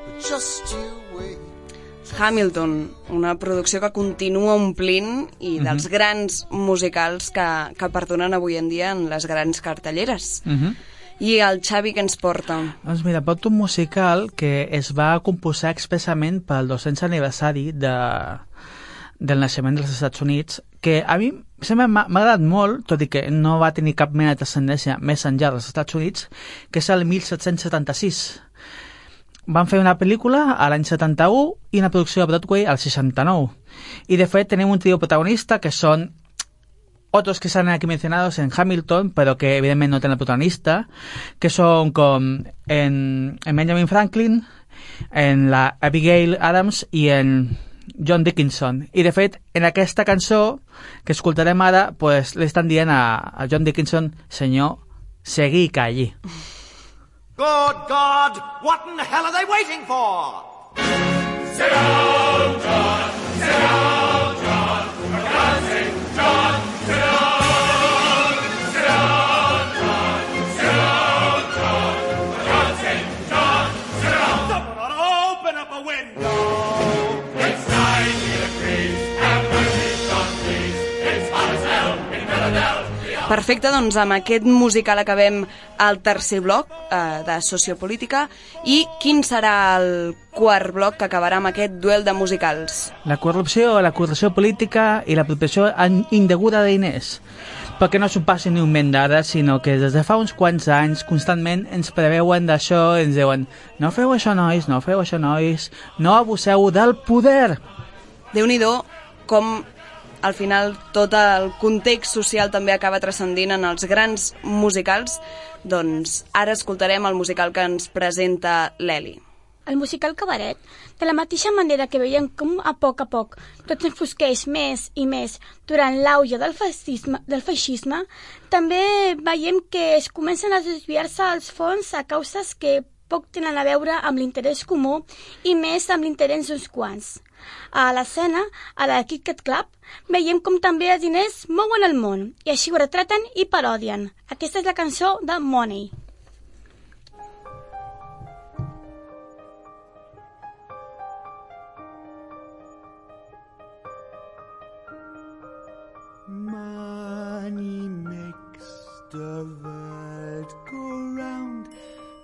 But just you wait. Hamilton, una producció que continua omplint i dels grans musicals que perdonen avui en dia en les grans cartelleres. I el Xavi, què ens porta? Doncs mira, porta un musical que es va composar expressament pel 200 aniversari del naixement dels Estats Units, que a mi sempre m'ha agradat molt, tot i que no va tenir cap mena de transcendència més enllà dels Estats Units, que és el 1776. Van fer una pel·lícula a l'any 71 i una producció a Broadway al 69. Y de fet tenim un trio protagonista que son otros que salen aquí mencionados en Hamilton, pero que evidentemente no tienen protagonista, que son en Benjamin Franklin, en la Abigail Adams i en John Dickinson. I de fet, en aquesta cançó que escoltarem ara, pues, li estan dient a John Dickinson, senyor, seguí calli. Good God, what in the hell are they waiting for? Sit down, John, sit down, John, for God's sake, John, sit down, sit down, John, sit down, John, for God's sake, John, sit down. Someone open up a window. It's 90 degrees, have mercy, John, please. It's hot as hell in Philadelphia. Perfecte, doncs amb aquest musical acabem el tercer bloc de sociopolítica. I quin serà el quart bloc que acabarà amb aquest duel de musicals? La corrupció política i l'apropiació indeguda de diners. Perquè no s'ho passi ni un ment d'ara, sinó que des de fa uns quants anys constantment ens preveuen d'això, ens diuen no feu això, nois, no feu això, nois, no abuseu del poder. Déu-n'hi-do com al final tot el context social també acaba transcendint en els grans musicals. Doncs ara escoltarem el musical que ens presenta l'Eli. El musical Cabaret, de la mateixa manera que veiem com a poc tot s'enfosqueix més i més durant l'auge del feixisme, també veiem que es comencen a desviar-se els fons a causes que poc tenen a veure amb l'interès comú i més amb l'interès d'uns quants. A l'escena, a la Kit Kat Club, veiem com també els diners mouen el món i així ho retraten i parodien. Aquesta és la cançó de Money. Money makes the world go round,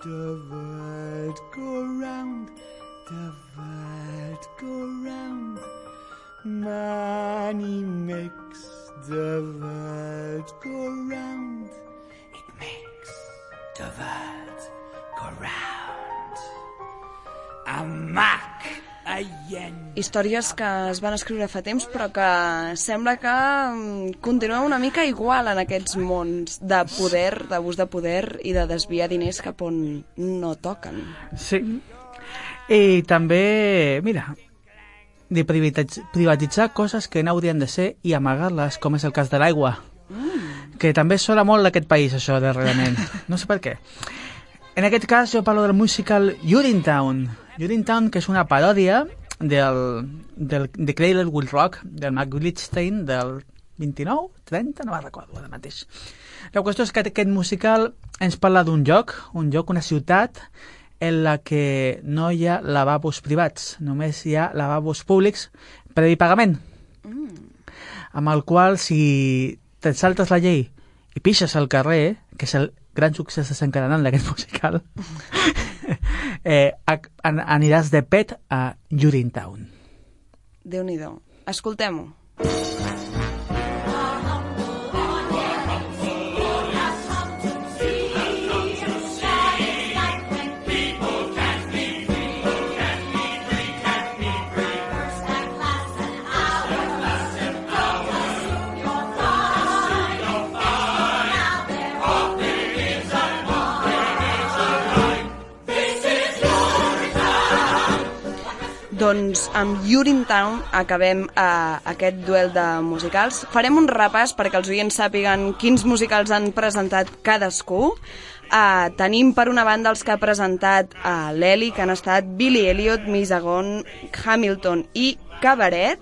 the world go round, the world go round. Money makes the world go round. It makes the world go round. A Mac, a yen. Històries que es van escriure fa temps però que sembla que continuen una mica igual en aquests mons de poder, d'abús de poder i de desviar diners cap on no toquen. Sí. I també, mira, de privatitzar coses que no haurien de ser i amagar-les, com és el cas de l'aigua. Que també sona molt d'aquest país, això, darrerament. No sé per què. En aquest cas jo parlo del musical Urinetown. Urinetown, que és una paròdia de Cradle Will Rock, del Mac Glitstein, del 29, 30, no me'n recordo ara mateix. La qüestió és que aquest musical ens parla d'un lloc, una ciutat, en la que no hi ha lavabos privats, només hi ha lavabos públics previ pagament. Amb el qual, si te'n saltes la llei i pixes al carrer, que és el gran succés desencadenant d'aquest musical, aniràs de pet a Urinetown. Déu-n'hi-do. Escoltem-ho. Doncs amb Urinetown acabem aquest duel de musicals. Farem un repàs perquè els oients sàpiguen quins musicals han presentat cadascú. Tenim per una banda els que ha presentat l'Eli, que han estat Billy Elliot, Misagon, Hamilton i Cabaret,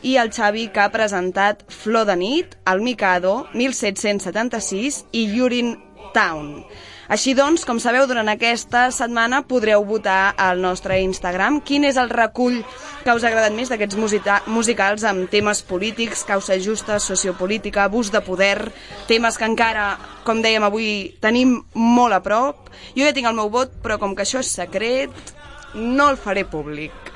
i el Xavi, que ha presentat Flor de nit, El Mikado, 1776 i Urinetown. Així doncs, com sabeu, durant aquesta setmana podreu votar al nostre Instagram quin és el recull que us ha agradat més d'aquests musicals amb temes polítics, causa justa, sociopolítica, abús de poder, temes que encara, com dèiem avui, tenim molt a prop. Jo ja tinc el meu vot, però com que això és secret, no el faré públic.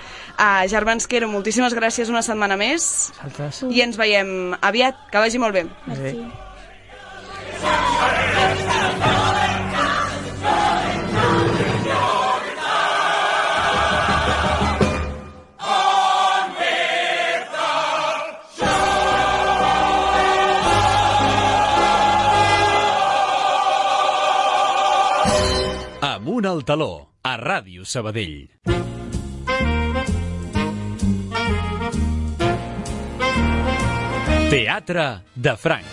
Germans Quero, moltíssimes gràcies una setmana més. Saltes. I ens veiem aviat. Que vagi molt bé. Merci. Amunt al taló, a Ràdio Sabadell. Teatre de Franc.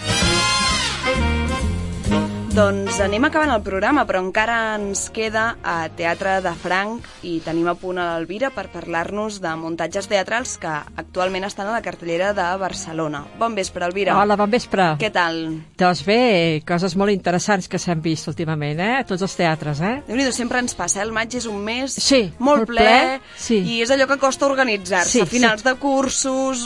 Doncs anem acabant el programa, però encara ens queda a Teatre de Franc i tenim a punt a l'Elvira per parlar-nos de muntatges teatrals que actualment estan a la cartellera de Barcelona. Bon vespre, Elvira. Hola, bon vespre. Què tal? Doncs bé, coses molt interessants que s'han vist últimament, Tots els teatres, Déu-n'hi-do, sempre ens passa, El maig és un mes molt ple sí. I és allò que costa organitzar-se. Sí, finals de cursos,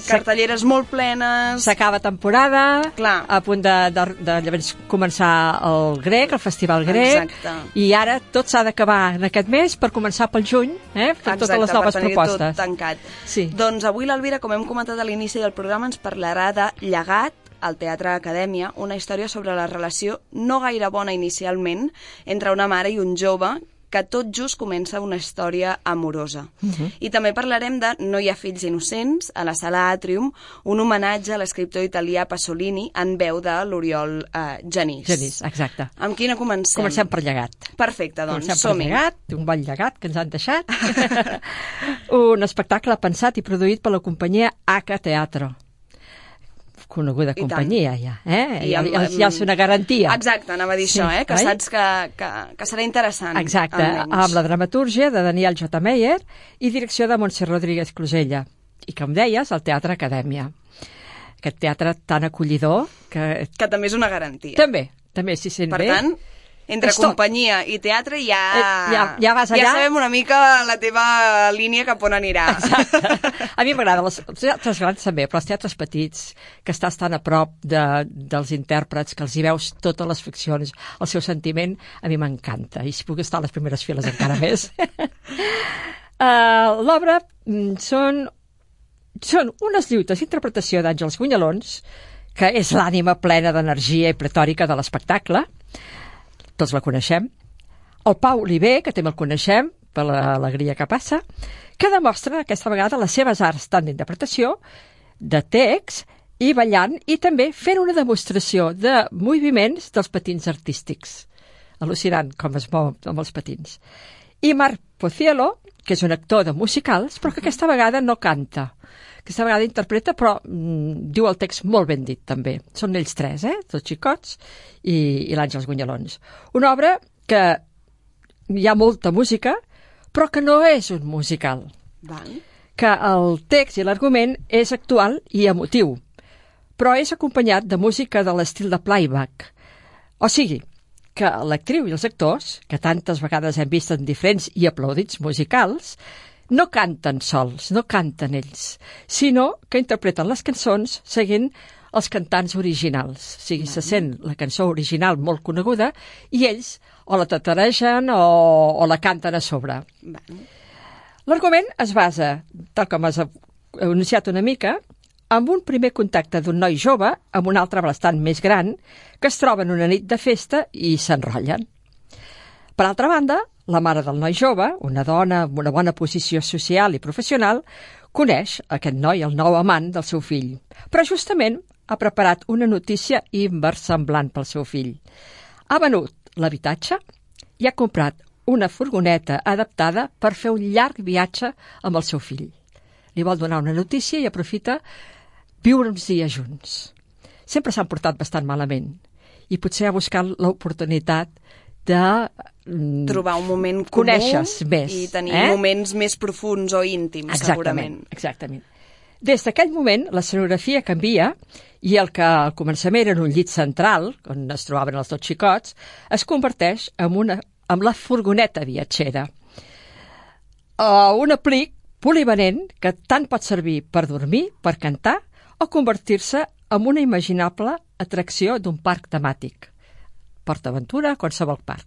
cartelleres molt plenes... S'acaba temporada, clar. A punt de llavors començar el grec, el festival grec. Exacte. I ara tot s'ha d'acabar en aquest mes per començar pel juny, per totes les noves propostes. Tot tancat. Sí. Doncs avui l'Elvira, com hem comentat a l'inici del programa, ens parlarà de Llegat, al Teatre Acadèmia, una història sobre la relació no gaire bona inicialment entre una mare i un jove que tot just comença una història amorosa. I també parlarem de No hi ha fills innocents, a la Sala Atrium, un homenatge a l'escriptor italià Pasolini en veu de l'Oriol Genís. Genís, exacte. Amb quina comencem? Comencem per Llegat. Perfecte, doncs som-hi. Comencem per Llegat, un bon llegat que ens han deixat. Un espectacle pensat i produït per la companyia H Teatro. Coneguda companyia, ja. Ja és una garantia. Exacte, anava a dir això, que saps que serà interessant. Exacte, amb la dramatúrgia de Daniel J. Meyer i direcció de Montse Rodríguez Closella. I, com deies, el Teatre Acadèmia. Aquest teatre tan acollidor que també és una garantia. També s'hi sent bé. Per tant, entre companyia i teatre ja vas allà. Ja sabem una mica la teva línia cap on anirà. Exacte. A mi m'agrada els teatres grans també, però els teatres petits, que estàs tan a prop dels intèrprets, que els hi veus totes les ficcions, el seu sentiment, a mi m'encanta. I si puc estar a les primeres files encara més. L'obra són unes lluites d'interpretació d'Àngels Gunyalons, que és l'ànima plena d'energia i pretòrica de l'espectacle. Tots la coneixem. El Pau Oliver, que també el coneixem per l'alegria que passa, que demostra aquesta vegada les seves arts tant d'interpretació, de text i ballant, i també fent una demostració de moviments dels patins artístics. Al·lucinant com es mou amb els patins. I Marc Pociello, que és un actor de musicals, però que aquesta vegada no canta. Aquesta vegada interpreta, però diu el text molt ben dit, també. Són ells tres, tots xicots, i l'Àngels Gunyalons. Una obra que hi ha molta música, però que no és un musical. Que el text i l'argument és actual i emotiu, però és acompanyat de música de l'estil de playback. O sigui, que l'actriu i els actors, que tantes vegades hem vist en diferents i aplaudits musicals, no canten sols, no canten ells, sinó que interpreten les cançons seguint els cantants originals. O sigui, se sent la cançó original molt coneguda i ells o la tataregen o la canten a sobre. L'argument es basa, tal com has anunciat una mica, amb un primer contacte d'un noi jove amb un altre bastant més gran que es troben una nit de festa i s'enrotllen. Per altra banda, la mare del noi jove, una dona amb una bona posició social i professional, coneix aquest noi, el nou amant del seu fill, però justament ha preparat una notícia inversemblant pel seu fill. Ha venut l'habitatge i ha comprat una furgoneta adaptada per fer un llarg viatge amb el seu fill. Li vol donar una notícia i aprofita viure uns dies junts. Sempre s'han portat bastant malament i potser ha buscat l'oportunitat de trobar un moment comú més, i tenir moments més profunds o íntims, segurament. Exactament. Des d'aquell moment, l'escenografia canvia i el que al començament era un llit central, on es trobaven els dos xicots, es converteix en la furgoneta viatgera. Un aplic polivalent que tant pot servir per dormir, per cantar, o convertir-se en una imaginable atracció d'un parc temàtic. PortAventura, qualsevol parc.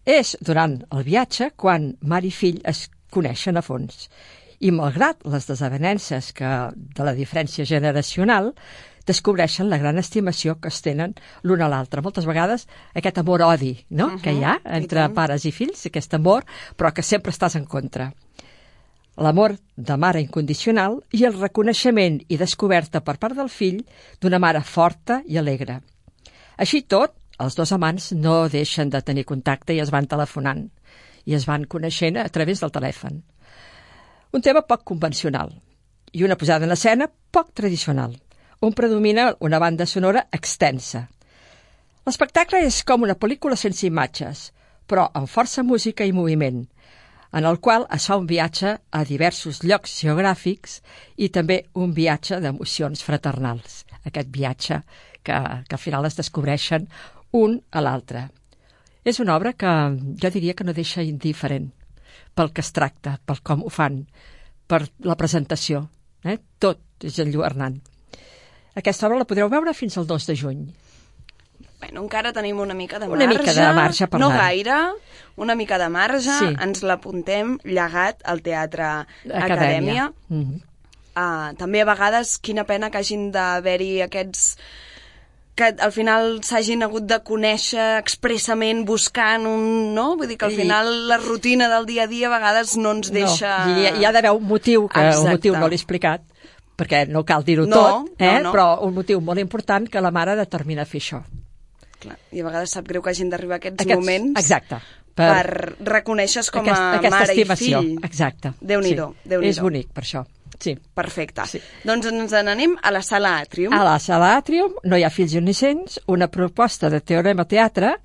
És durant el viatge quan mare i fill es coneixen a fons. I malgrat les desavenences de la diferència generacional, descobreixen la gran estimació que es tenen l'un a l'altre. Moltes vegades aquest amor-odi, no? Que hi ha entre pares i fills, aquest amor, però que sempre estàs en contra. L'amor de mare incondicional i el reconeixement i descoberta per part del fill d'una mare forta i alegre. Així tot, els dos amants no deixen de tenir contacte i es van telefonant i es van coneixent a través del telèfon. Un tema poc convencional i una posada en escena poc tradicional, on predomina una banda sonora extensa. L'espectacle és com una pel·lícula sense imatges, però amb força música i moviment, en el qual es fa un viatge a diversos llocs geogràfics i també un viatge d'emocions fraternals. Aquest viatge que al final es descobreixen un a l'altre. És una obra que jo diria que no deixa indiferent pel que es tracta, pel com ho fan, per la presentació. Tot és enlluernant. Aquesta obra la podreu veure fins al 2 de juny. Bueno, encara tenim una mica de marge. Una mica de marge, per no gaire, una mica de marge. Sí. Ens l'apuntem, Llegat al Teatre Acadèmia. També a vegades, quina pena que hagin d'haver-hi aquests que al final s'hagin hagut de conèixer expressament buscant un... no? Vull dir que al final la rutina del dia a dia a vegades no ens deixa... No, hi ha d'haver un motiu, que un motiu no l'he explicat, perquè no cal dir-ho tot, però un motiu molt important que la mare determina fer això. Clar, i a vegades sap greu que hagin d'arribar aquests moments per reconèixer-se com a mare estimació. I fill. Exacte. Déu-n'hi-do. És bonic, per això. Sí. Perfecte. Sí. Doncs ens n'anem a la Sala Àtrium. A la Sala Àtrium, No hi ha fills innocents, una proposta de Teorema Teatre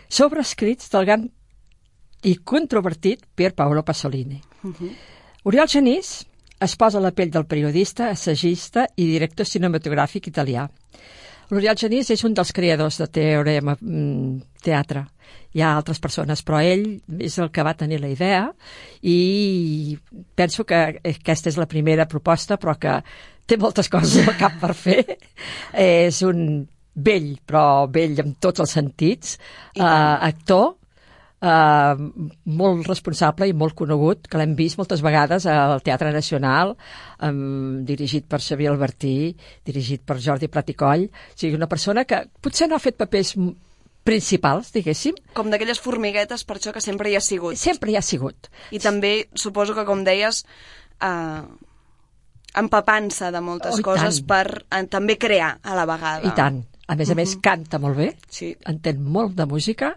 sobre escrits del gran i controvertit Pier Paolo Pasolini. Oriol Genís es posa a la pell del periodista, assagista i director cinematogràfic italià. L'Oriol Genís és un dels creadors de Teorema Teatre. Hi ha altres persones, però ell és el que va tenir la idea i penso que aquesta és la primera proposta, però que té moltes coses al cap per fer. És un vell, però vell en tots els sentits, actor, molt responsable i molt conegut, que l'hem vist moltes vegades al Teatre Nacional, dirigit per Xavier Albertí, dirigit per Jordi Prat i Coll. O sigui, una persona que potser no ha fet papers principals, diguéssim. Com d'aquelles formiguetes, per això que sempre hi ha sigut. Sempre hi ha sigut. I també, suposo que, com deies, empapant-se de moltes coses per també crear a la vegada. I tant. A més a més, canta molt bé, entén molt de música,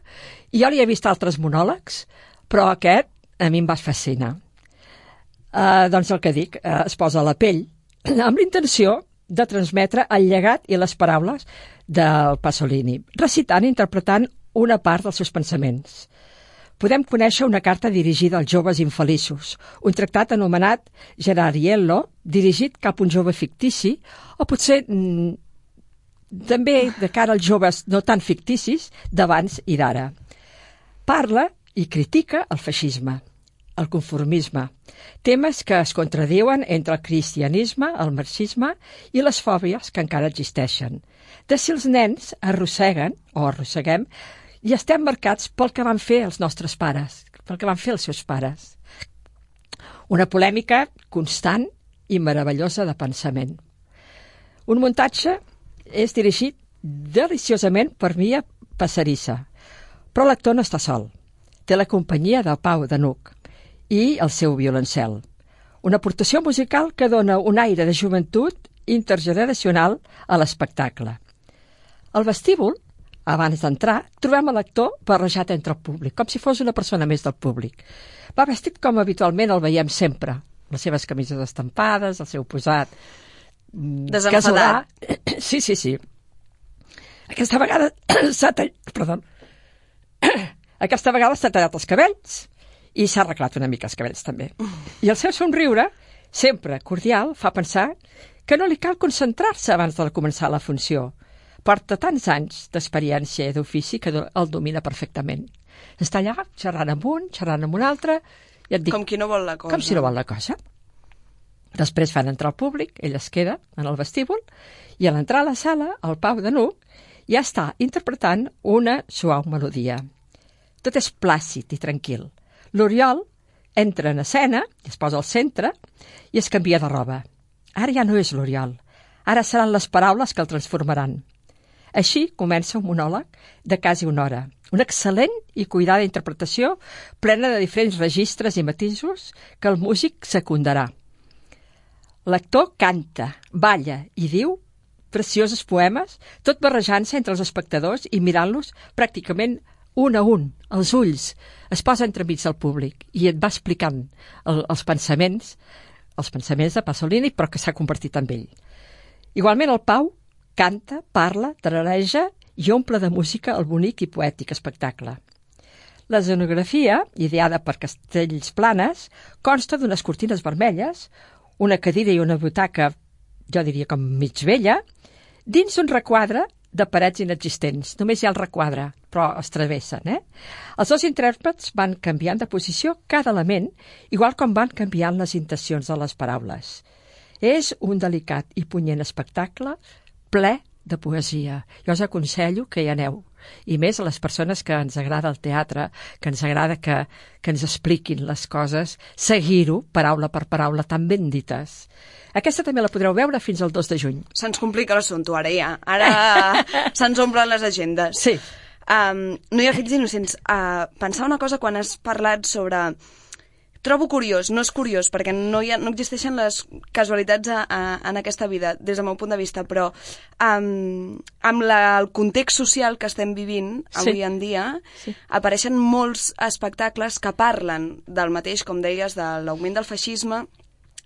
i jo li he vist altres monòlegs, però aquest a mi em va fascinar. Doncs el que dic, es posa a la pell, amb l'intenció de transmetre el llegat i les paraules del Pasolini, recitant i interpretant una part dels seus pensaments. Podem conèixer una carta dirigida als joves infeliços, un tractat anomenat Gerariello, dirigit cap a un jove fictici, o potser també de cara als joves no tan ficticis d'abans i d'ara. Parla i critica el feixisme, el conformisme, temes que es contradiuen entre el cristianisme, el marxisme i les fòbies que encara existeixen. De si els nens arrosseguen o arrosseguem i estem marcats pel que van fer els nostres pares, pel que van fer els seus pares. Una polèmica constant i meravellosa de pensament. Un muntatge és dirigit deliciosament per Mia Passarissa, però l'actor no està sol. Té la companyia de Pau Danuc i el seu violoncel. Una aportació musical que dona un aire de joventut intergeneracional a l'espectacle. Al vestíbul, abans d'entrar, trobem a l'actor barrejat entre el públic, com si fos una persona més del públic. Va vestit com habitualment el veiem sempre, les seves camises estampades, el seu posat desenfadat. Sí. Aquesta vegada s'ha tallat els cabells i s'ha arreglat una mica els cabells també. I el seu somriure, sempre cordial, fa pensar que no li cal concentrar-se abans de començar la funció. Porta tants anys d'experiència i d'ofici que el domina perfectament. Està allà xerrant amb un, xerrant amb un altre, i et dic, com qui no vol la cosa. Com si no vol la cosa. Després fan entrar el públic, ell es queda en el vestíbul, i a l'entrar a la sala, el Pau Danuc ja està interpretant una suau melodia. Tot és plàcid i tranquil. L'Oriol entra en escena, es posa al centre i es canvia de roba. Ara ja no és l'Oriol, ara seran les paraules que el transformaran. Així comença un monòleg de quasi una hora. Una excel·lent i cuidada interpretació plena de diferents registres i matisos que el músic secundarà. L'actor canta, balla i diu preciosos poemes, tot barrejant-se entre els espectadors i mirant-los pràcticament un a un, els ulls. Es posa entremig del públic i et va explicant els pensaments de Pasolini, però que s'ha convertit en ell. Igualment el Pau canta, parla, tarareja i omple de música el bonic i poètic espectacle. L'escenografia, ideada per Castells Planes, consta d'unes cortines vermelles, una cadira i una butaca, jo diria com mig vella, dins un requadre de parets inexistents. Només hi ha el requadre, però es travessen, Els dos intèrprets van canviant de posició cada element, igual com van canviant les intencions de les paraules. És un delicat i punyent espectacle ple de poesia. Jo us aconsello que hi aneu. I més a les persones que ens agrada el teatre, que ens agrada que ens expliquin les coses, seguir-ho, paraula per paraula, tan ben dites. Aquesta també la podreu veure fins al 2 de juny. Se'ns complica l'assumpte ara ja. Ara se'ns omplen les agendes. Sí. No hi ha fills innocents. Pensar una cosa quan has parlat sobre... Trobo curiós, no és curiós, perquè no existeixen les casualitats en aquesta vida, des del meu punt de vista, però amb el context social que estem vivint avui en dia, apareixen molts espectacles que parlen del mateix, com deies, de l'augment del feixisme,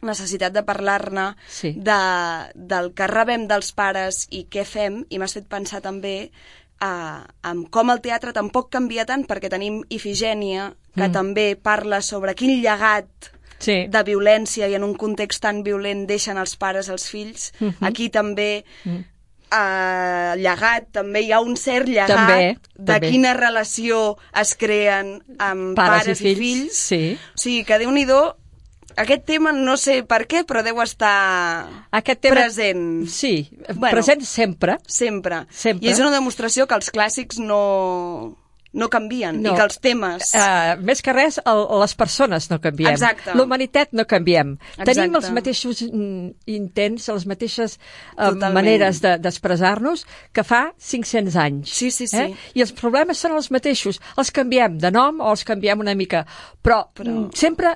necessitat de parlar-ne, del que rebem dels pares i què fem, i m'has fet pensar també amb com el teatre tampoc canvia tant, perquè tenim Ifigènia, que també parla sobre quin llegat de violència i en un context tan violent deixen els pares als fills. Aquí també llegat, també hi ha un cert llegat de quina relació es creen amb pares i fills. O sigui que Déu-n'hi-do, aquest tema no sé per què, però deu estar present. Sí, present sempre. Sempre. I és una demostració que els clàssics no canvien, i que els temes... Més que res, les persones no canviem. Exacte. L'humanitat no canviem. Tenim els mateixos intents, les mateixes maneres d'expressar-nos que fa 500 anys. Sí. I els problemes són els mateixos. Els canviem de nom o els canviem una mica. Però sempre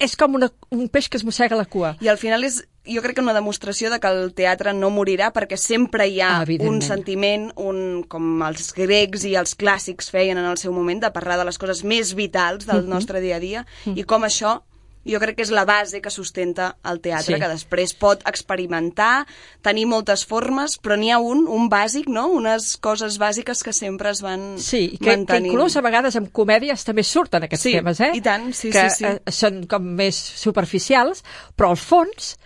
és com un peix que es mossega la cua. I al final és... Jo crec que una demostració de que el teatre no morirà, perquè sempre hi ha un sentiment, com els grecs i els clàssics feien en el seu moment, de parlar de les coses més vitals del nostre dia a dia, i com això jo crec que és la base que sustenta el teatre, que després pot experimentar, tenir moltes formes, però n'hi ha un bàsic, no? Unes coses bàsiques que sempre es van mantenint. Que inclús a vegades en comèdies també surten aquests temes, i tant, que són com més superficials, però al fons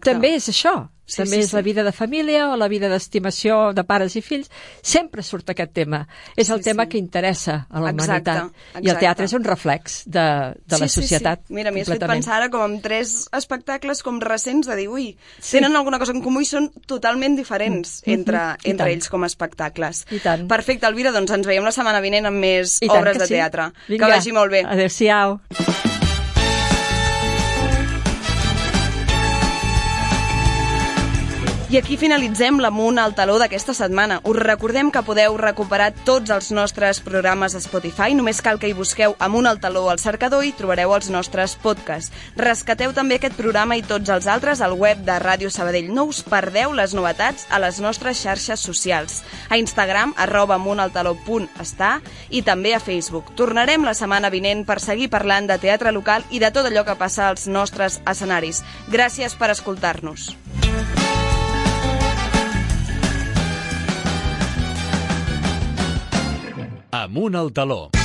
també és això. També és la vida de família o la vida d'estimació de pares i fills. Sempre surt aquest tema. És el tema que interessa a la humanitat. I el teatre és un reflex de la societat. Mira, m'hi has fet pensar ara com amb 3 espectacles com recents de dir, ui, tenen alguna cosa en comú i són totalment diferents entre ells com a espectacles. Perfecte, Elvira, doncs ens veiem la setmana vinent amb més obres de teatre. Que vagi molt bé. Adéu-siau. I aquí finalitzem l'Amunt al Taló d'aquesta setmana. Us recordem que podeu recuperar tots els nostres programes a Spotify. Només cal que hi busqueu Amunt al Taló al cercador i trobareu els nostres podcasts. Rescateu també aquest programa i tots els altres al web de Ràdio Sabadell. No us perdeu les novetats a les nostres xarxes socials. A Instagram, @amuntaltaló.està i també a Facebook. Tornarem la setmana vinent per seguir parlant de teatre local i de tot allò que passa als nostres escenaris. Gràcies per escoltar-nos. Amunt al Taló.